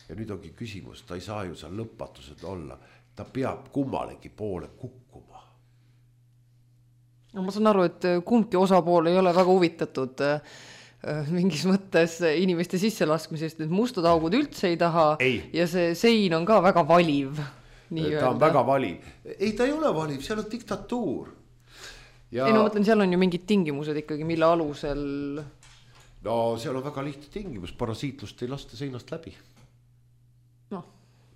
Ja nüüd ongi küsimus, ta ei saa ju seal lõpatused olla. Ta peab kummalegi poole kukkuma.
No, ma saan aru, et kumbki osapool ei ole väga huvitatud mingis mõttes inimeste sisselaskmisest, et mustad augud üldse ei taha ei. Ja see sein on ka väga valiv.
Nii ta öelda. On väga valiv. Ei, ta ei ole valiv, seal on diktatuur.
Ja... ei no mõtlen, seal on ju mingid tingimused ikkagi, mille alusel...
no seal on väga lihtne tingimus, parasiitlust ei lasta seinast läbi.
No.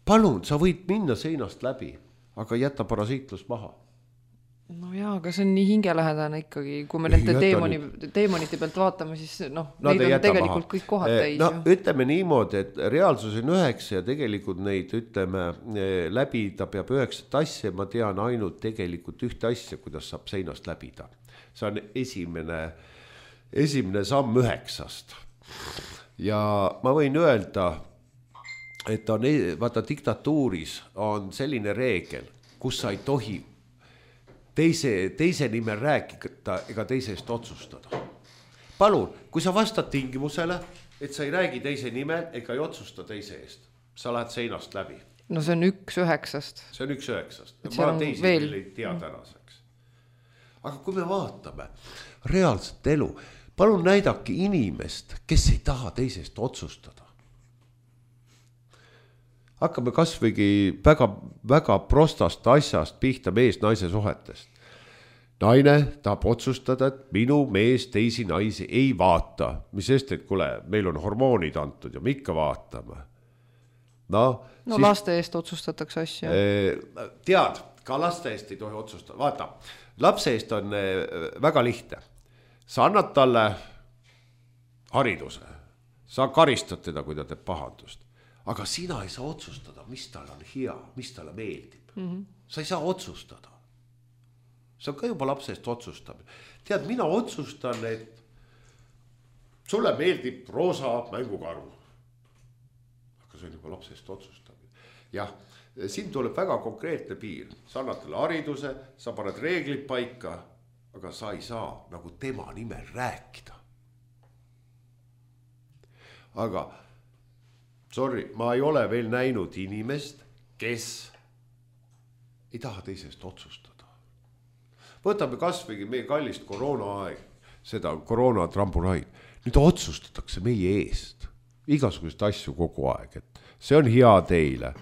Palun, sa võid minna seinast läbi, aga jäta parasiitlust maha.
No jaa, aga see on nii hingelähedane ikkagi, kui me nende teemoni, teemonite pealt vaatame, siis noh,
no,
neid on tegelikult maha. Kõik kohad täis.
No ütleme niimoodi, et reaalsus on üheksa ja tegelikult neid, ütleme, läbida peab üheksat asja, ma tean ainult tegelikult ühte asja, kuidas saab seinast läbida. See on esimene, esimene samm üheksast. Ja ma võin öelda, et on, vaata diktatuuris on selline reegel, kus sa ei tohi teise, teise nimel rääkida ega teise eest otsustada. Palun, kui sa vastad tingimusele, et sa ei räägi teise nimel ega ei otsusta teise eest, sa lähed seinast läbi.
No see on üks üheksast.
See on üks üheksast. Ma teisi veel ei tea tänaseks. Aga kui me vaatame reaalset elu, palun näidake inimest, kes ei taha teise eest otsustada. Hakkame kasvõigi väga, väga prostast asjast pihta mees-naise suhetest. Naine tahab otsustada, et minu mees teisi naisi ei vaata. Mis sest, et kule, meil on hormoonid antud ja me ikka vaatame. No,
no siis, laste eest otsustatakse asja.
Tead, ka laste eest ei tohi otsustada. Vaata, lapse eest on väga lihtne. Sa annad talle hariduse. Sa karistad teda, kui ta teeb pahandust. Aga sina ei saa otsustada, mis tal on hea, mis talle meeldib. Mm-hmm. Sa ei saa otsustada. See on ka juba lapse eest otsustamine. Tead, mina otsustan, et sulle meeldib roosa mängukaru. Aga see on juba lapse eest otsustamine. Jah, siin tuleb väga konkreetne piir. Sa annad talle hariduse, sa paned reeglid paika, aga sa ei saa nagu tema nimel rääkida. Aga sorry, ma ei ole veel näinud inimest, kes ei taha teisest otsustada. Võtame kasvõigi meie kallist koroonaaeg, seda koroonatrambunaid. Nüüd otsustatakse meie eest. Igasugust asju kogu aeg, et see on hea teile.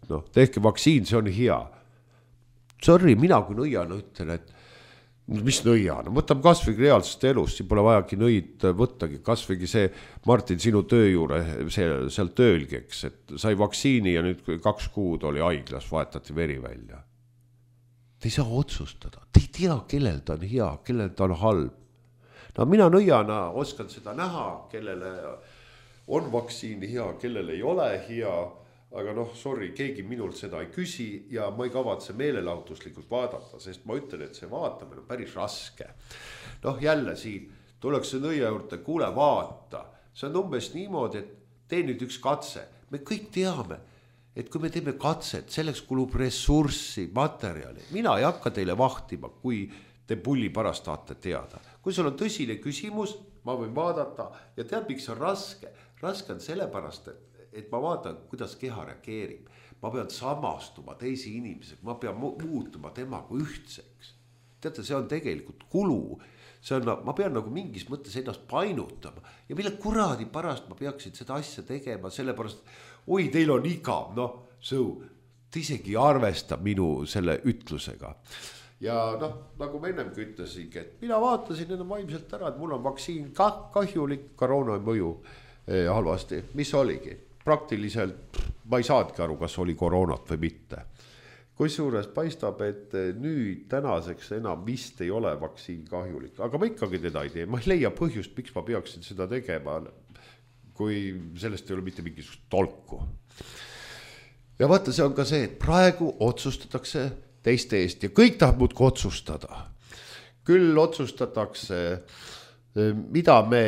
No, tehke vaktsiin, see on hea. Sorry, mina kui nõiana ütlen, et mis nõiana? Võtame kasvõigi reaalsest elust, siin pole vajagi nõid võttagi. Kasvõigi see, Martin, sinu töö juure, see, seal töölgeks, et sai vaktsiini ja nüüd kaks kuud oli haiglas, vahetati veri välja. Te ei saa otsustada, te ei tea, kellel ta on hea, kellel ta on halb. No mina nõiana oskan seda näha, kellele on vaktsiini hea, kellel ei ole hea, aga noh, sorry, keegi minult seda ei küsi ja ma ei kavatse meelelahutuslikult vaadata, sest ma ütlen, et see vaatamine on päris raske. Noh, jälle siin tuleks nõia juurde, kuule vaata, see on umbes niimoodi, et tee nüüd üks katse. Me kõik teame, et kui me teeme katset, selleks kulub ressurssi, materjali. Mina ei hakka teile vahtima, kui te pulli pärast tahate teada. Kui sul on tõsine küsimus, ma võin vaadata ja tead, miks on raske. Raske on sellepärast, et, et ma vaatan, kuidas keha reageerib. Ma pean samastuma teisi inimesega, ma pean muutuma temaga ühtseks. Teate, see on tegelikult kulu. See on, ma pean nagu mingis mõttes ennast painutama ja mille kuradi pärast ma peaksin seda asja tegema, sellepärast, oi, teil on igav, noh, sõu, te isegi arvesta minu selle ütlusega. Ja noh, nagu ma ennemgi ütlesingi, et mina vaatasin enne vaimselt ära, et mul on vaktsiin ka kahjulik, koroona mõju eh, halvasti, mis oligi. Praktiliselt ma ei saadki aru, kas oli koroonat või mitte. Kusjuures paistab, et nüüd tänaseks enam vist ei ole vaktsiin kahjulik, aga ma ikkagi teda ei tee. Ma ei leia põhjust, miks ma peaksin seda tegema, kui sellest ei ole mitte mingisugust tolku. Ja vaata, see on ka see, et praegu otsustatakse teiste eest ja kõik tahab muudki otsustada. Küll otsustatakse, mida me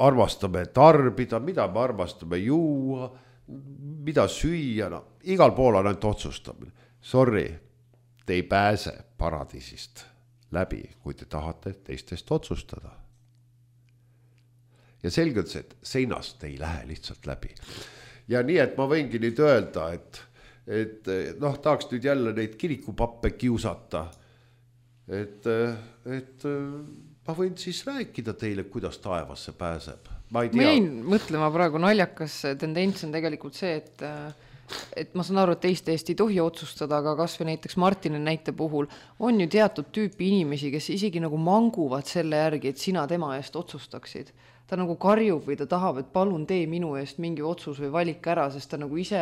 armastame tarbida, mida me armastame juua, mida süüa, no, igal pool on ainult otsustamine. Sorry, te ei pääse paradiisist läbi, kui te tahate teistest otsustada. Ja selgelt see, et seinast ei lähe lihtsalt läbi. Ja nii, et ma võingi nüüd öelda, et, et noh, tahaks nüüd jälle neid kirikupappe kiusata. Et, et ma võin siis rääkida teile, kuidas taevasse pääseb. Ma ei tea.
Ma jäin mõtlema praegu naljakas tendents on tegelikult see, et et ma saan aru, et teiste eest ei tohi otsustada, aga kas või näiteks Martini näite puhul on ju teatud tüüpi inimesi, kes isegi nagu manguvad selle järgi, et sina tema eest otsustaksid. Ta nagu karjub või ta tahab, et palun tee minu eest mingi otsus või valik ära, sest ta nagu ise,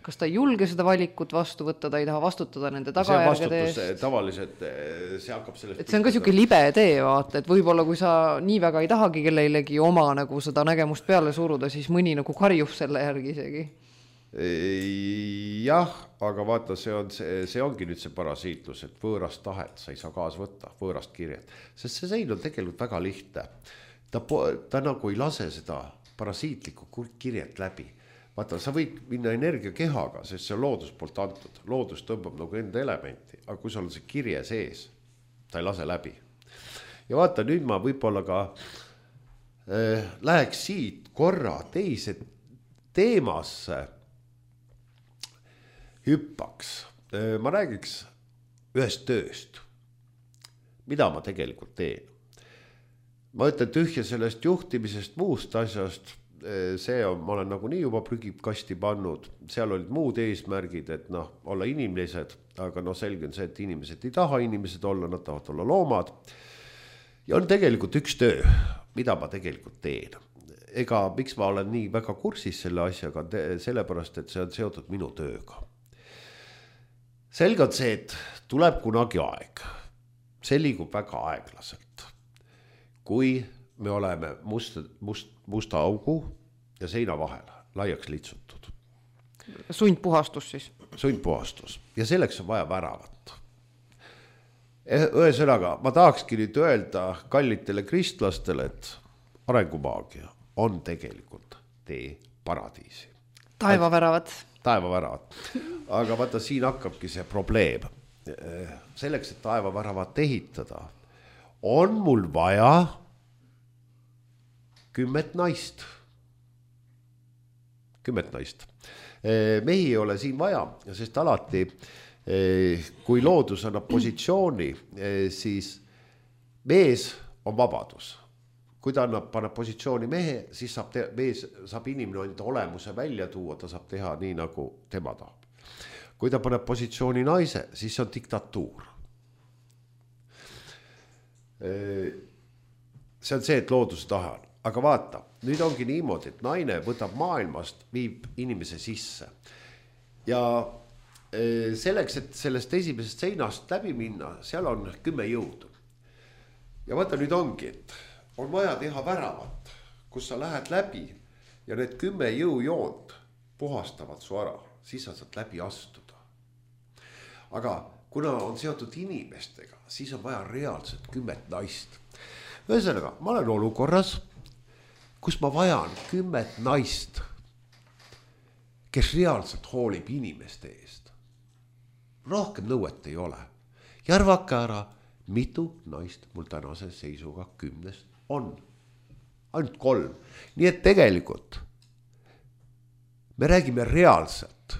kas ta ei julge seda valikut vastu võtta, ta ei taha vastutada nende tagajärgede eest.
Tavaliselt see hakkab sellest...
Et see on ka siuke libe tee, vaata, et võib-olla kui sa nii väga ei tahagi kellelegi oma nagu seda nägemust peale suruda, siis mõni nagu karjub selle järgi isegi.
Jah, aga vaata, see, on, see, see ongi nüüd see parasiitlus, et võõrast tahet sa ei saa kaas võtta, võõrast kirjet. Sest see sein on tegelikult väga lihtne. Ta, ta nagu ei lase seda parasiitlikku kirjet läbi. Vaata, sa võid minna energiakehaga, sest see on loodus poolt antud. Loodus tõmbab nagu enda elementi, aga kui sul on see kirje sees, ta ei lase läbi. Ja vaata, nüüd ma võib-olla ka äh, läheks siit korra teise teemasse hüppaks. Äh, ma räägiks ühest tööst, mida ma tegelikult teen. Ma ütlen tühja sellest juhtimisest, muust asjast, see on, ma olen nagu nii juba prügikasti pannud, seal olid muud eesmärgid, et noh, olla inimesed, aga noh, selge on see, et inimesed ei taha inimesed olla, nad tahavad olla loomad. Ja on tegelikult üks töö, mida ma tegelikult teen. Ega miks ma olen nii väga kursis selle asjaga, sellepärast, et see on seotud minu tööga. Selge on see, et tuleb kunagi aeg. See liigub väga aeglaselt. Kui me oleme must, must, musta augu ja seina vahel laiaks litsutud.
Sundpuhastus siis?
Sundpuhastus. Ja selleks on vaja väravat. Ühesõnaga, ma tahakski nüüd öelda kallitele kristlastele, et arengumaagia on tegelikult tee paradiisi.
Taevaväravat.
Taevaväravat. Aga vaata, siin hakkabki see probleem. Selleks, et taevaväravat ehitada, on mul vaja kümmet naist. Kümmet naist. Mehi ei ole siin vaja, sest alati, kui loodus annab positsiooni, siis mees on vabadus. Kui ta annab, paneb positsiooni mehe, siis saab, te, mees, saab inimene enda olemuse välja tuua, ta saab teha nii, nagu tema tahab. Kui ta paneb positsiooni naise, siis on diktatuur. See on see, et loodus tahan. Aga vaata, nüüd ongi niimoodi, et naine võtab maailmast, viib inimese sisse. Ja selleks, et sellest esimesest seinast läbi minna, seal on kümme jõudu. Ja vaata, nüüd ongi, et on vaja teha väravat, kus sa lähed läbi ja need kümme jõujoont puhastavad su ära, siis sa saad läbi astuda. Aga kuna on seotud inimestega, siis on vaja reaalselt kümmet naist. Ühesõnaga, ma olen olukorras, kus ma vajan kümmet naist, kes reaalselt hoolib inimeste eest. Rohkem nõuet ei ole. Järvake ära, mitu naist mul tänase seisuga kümnest on. Ainult kolm. Nii et tegelikult me räägime reaalselt.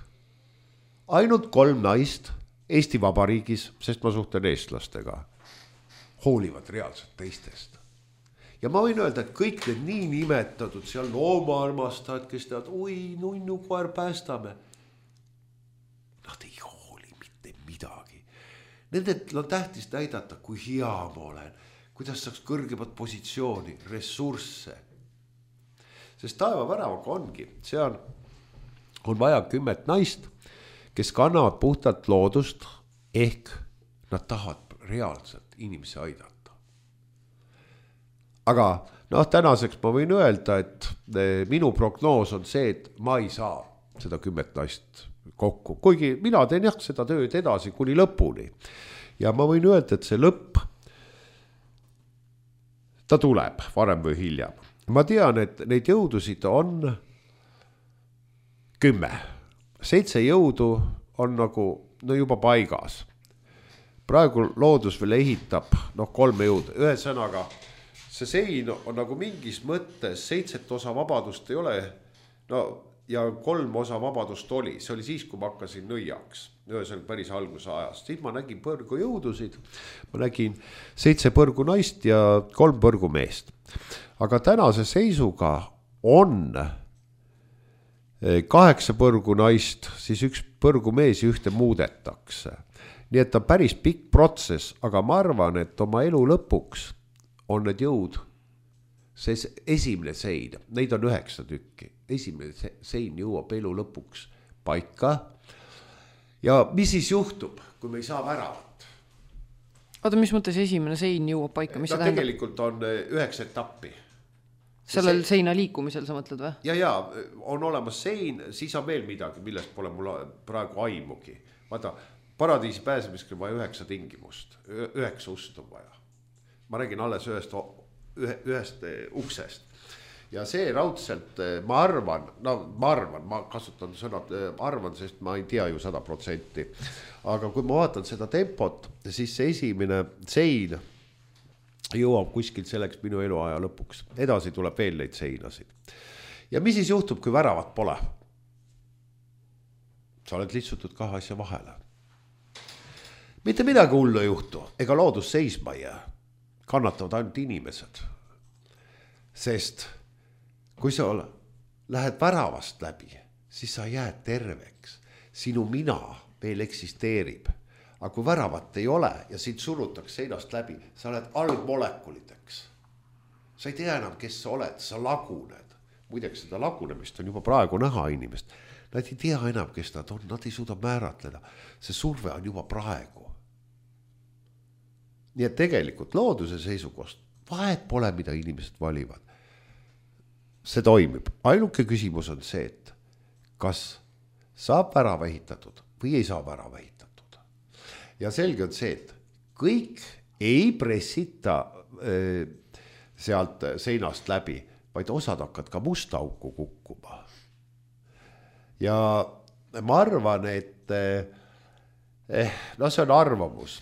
Ainult kolm naist Eesti Vabariigis, sest ma suhtlen eestlastega, hoolivad reaalselt teistest. Ja ma võin öelda, et kõik need nii nimetatud seal loomaarmastajad, kes teavad, oi, nunnu koer päästame. Nad ei hooli mitte midagi. Nendel on tähtis näidata, kui hea ma olen, kuidas saaks kõrgemat positsiooni, ressursse. Sest taevaväravaga ongi, see on, on vaja kümmet naist, kes kannavad puhtalt loodust, ehk nad tahavad reaalselt inimesi aidata. Aga noh, tänaseks ma võin öelda, et minu prognoos on see, et ma ei saa seda kümmet naist kokku. Kuigi mina teen jah seda tööd edasi kuni lõpuni. Ja ma võin öelda, et see lõpp, ta tuleb varem või hiljem. Ma tean, et neid jõudusid on kümme. Seitse jõudu on nagu no juba paigas. Praegu loodus veel ehitab noh, kolme jõudu. Ühesõnaga, see sein on nagu mingis mõttes seitset osa vabadust ei ole, no ja kolm osa vabadust oli. See oli siis, kui ma hakkasin nõiaks. Ühesõnaga päris alguse ajast. Siis ma nägin põrgu jõudusid. Ma nägin seitse põrgu naist ja kolm põrgu meest. Aga tänase seisuga on kaheksa põrgu naist, siis üks põrgu mees ühte muudetakse. Nii et ta päris pikk protsess, aga ma arvan, et oma elu lõpuks on need jõud, see esimene sein, neid on üheksa tükki, esimene sein jõuab elu lõpuks paika. Ja mis siis juhtub, kui me ei saa väravat?
Oota, mis mõttes esimene sein jõuab paika? Mis
no
see
tegelikult on üheksa etappi.
Sellel see... seina liikumisel sa mõtled või?
Ja, ja, on olemas sein, siis on veel midagi, millest pole mul praegu aimugi. Vaata, paradiisi pääsemisel vaja üheksa tingimust, üheksa ust on vaja. Ma räägin alles ühest, ühe, ühest uksest. Ja see raudselt, ma arvan, no ma arvan, ma kasutan sõnad, arvan, sest ma ei tea ju sada protsenti. Aga kui ma vaatan seda tempot, siis see esimene sein jõuab kuskil selleks minu eluaja lõpuks. Edasi tuleb veel neid seinasid. Ja mis siis juhtub, kui väravat pole? Sa oled lihtsutud kahe asja vahele. Mitte midagi hullu ei juhtu, ega loodus seisma jää. Kannatavad ainult inimesed. Sest kui sa ole, lähed väravast läbi, siis sa jääd terveks. Sinu mina veel eksisteerib. Aga kui väravat ei ole ja sind surutakse seinast läbi, sa oled algmolekulideks. Sa ei tea enam, kes sa oled, sa laguned. Muideks seda lagunemist on juba praegu näha inimest. Nad ei tea enam, kes nad on, nad ei suuda määratleda. See surve on juba praegu. Nii et tegelikult looduse seisukost vahet pole, mida inimesed valivad. See toimib. Ainuke küsimus on see, et kas saab värava ehitatud või ei saa värava ehitatud. Ja selge on see, et kõik ei pressita äh, sealt seinast läbi, vaid osad hakkad ka musta auku kukkuma. Ja ma arvan, et eh, no see on arvamus.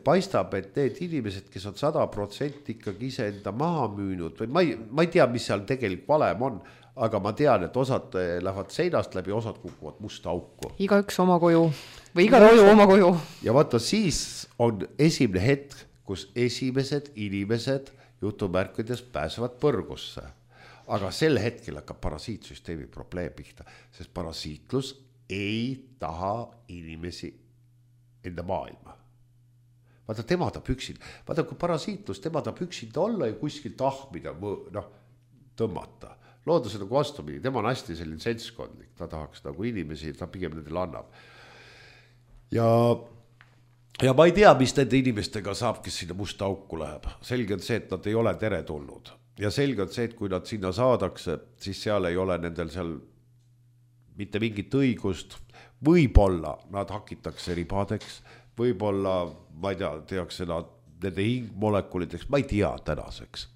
Paistab, et need inimesed, kes on sada protsenti ikkagi iseenda maha müünud, või ma ei, ma ei tea, mis seal tegelikult valem on, aga ma tean, et osad lähevad seinast läbi, osad kukuvad musta auku.
Iga üks oma koju või iga roju oma koju.
Ja vaata, siis on esimene hetk, kus esimesed inimesed jutumärkides pääsevad põrgusse. Aga sel hetkel hakkab parasiitsüsteemi probleem pihta, sest parasiitlus ei taha inimesi enda maailma. Vaata, tema ta püksid. Vaata, kui parasiitlus, tema ta püksid olla ja kuskil tahmida, noh, tõmmata. Loodus on nagu vastupidi, tema on hästi selline seltskondlik, ta tahaks nagu inimesi, ta pigem nendel annab. Ja, ja ma ei tea, mis nende inimestega saab, kes sinna musta auku läheb. Selge on see, et nad ei ole tere tulnud. Ja selge on see, et kui nad sinna saadakse, siis seal ei ole nendel seal mitte mingit õigust. Võib-olla nad hakitakse ribadeks, võib-olla, ma ei tea, tehakse nad nende hingmolekulideks, ma ei tea tänaseks.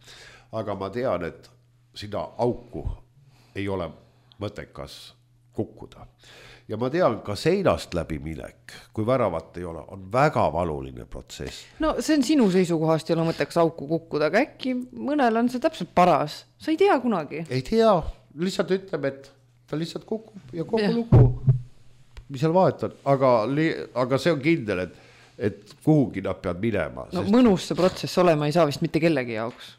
Aga ma tean, et sinna auku ei ole mõttekas kukkuda. Ja ma tean, ka seinast läbi minek, kui väravat ei ole, on väga valuline protsess.
No see on sinu seisukohast ei ole mõttekas auku kukkuda, aga äkki mõnel on see täpselt paras. Sa ei tea kunagi.
Ei tea, lihtsalt ütleb, et ta lihtsalt kukub ja kogu ja. Lugu, mis seal vahet on. Aga, aga see on kindel, et, et kuhugi nad peavad minema.
No sest... mõnus see protsess olema ei saa vist mitte kellegi jaoks.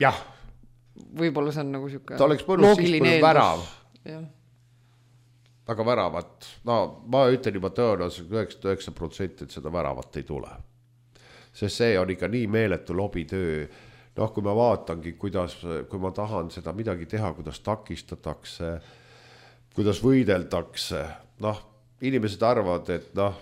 Jah.
Võib-olla see on nagu siuke
ta oleks mõnus siis, kui värav.
Jah.
Aga väravat, no ma ütlen juba tõenäoliselt üheksakümmend üheksa protsenti, et seda väravat ei tule. Sest see on ikka nii meeletu lobitöö. Noh, kui ma vaatangi, kuidas, kui ma tahan seda midagi teha, kuidas takistatakse, kuidas võideldakse, noh, inimesed arvavad, et noh,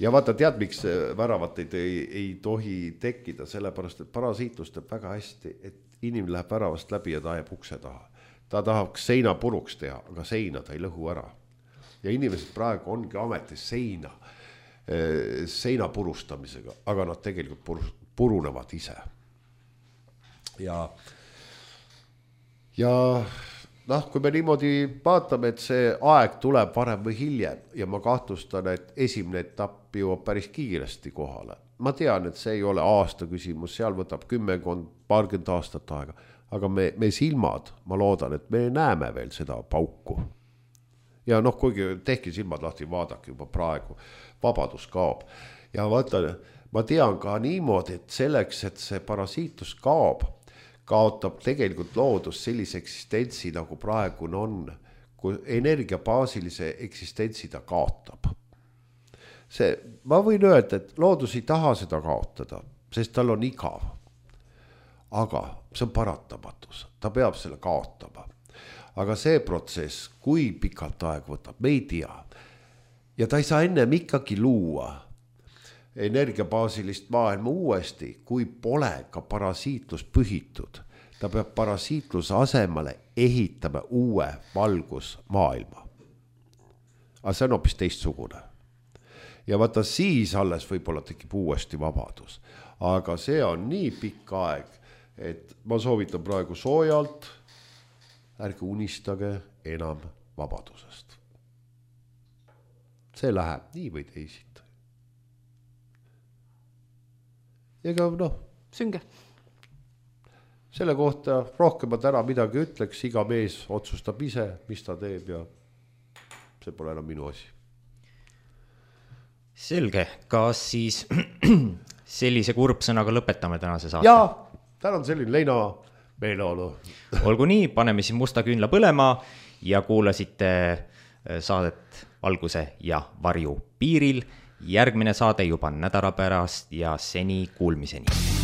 ja vaata, tead, miks väravat ei, ei, ei tohi tekkida, sellepärast, et parasiitlus teeb väga hästi, et inimene läheb väravast läbi ja ta jääb ukse taha. Ta tahaks seina puruks teha, aga seina ta ei lõhu ära. Ja inimesed praegu ongi ametis seina, seina purustamisega, aga nad tegelikult purunevad ise. Ja, ja noh, kui me niimoodi vaatame, et see aeg tuleb varem või hiljem ja ma kahtlustan, et esimene etapp jõuab päris kiiresti kohale. Ma tean, et see ei ole aasta küsimus, seal võtab kümmekond, paarkümmend aastat aega. Aga me, me silmad, ma loodan, et me näeme veel seda pauku. Ja noh, kuigi tehki silmad lahti, vaadake juba praegu, vabadus kaob. Ja vaata, ma tean ka niimoodi, et selleks, et see parasiitlus kaob, kaotab tegelikult loodus sellise eksistentsi, nagu praegune on, kui energiabaasilise eksistentsi ta kaotab. See, ma võin öelda, et loodus ei taha seda kaotada, sest tal on igav. Aga see on paratamatus, ta peab selle kaotama. Aga see protsess, kui pikalt aeg võtab, me ei tea. Ja ta ei saa ennem ikkagi luua energiabaasilist maailma uuesti, kui pole ka parasiitlus pühitud. Ta peab parasiitluse asemele ehitama uue valgusmaailma. Aga see on hoopis teistsugune. Ja vaata siis alles võib-olla tekib uuesti vabadus. Aga see on nii pikk aeg, et ma soovitan praegu soojalt, ärge unistage enam vabadusest. See läheb nii või teisiti. Ega noh.
Sünge.
Selle kohta rohkem ma täna midagi ütleks, iga mees otsustab ise, mis ta teeb ja see pole enam minu asi.
Selge, kas siis sellise kurbsõnaga lõpetame tänase saate?
Jaa, täna on selline leina meeleolu.
Olgu nii, paneme siis musta küünla põlema ja kuulasite saadet Valguse ja varju piiril. Järgmine saade juba nädala pärast ja seni kuulmiseni.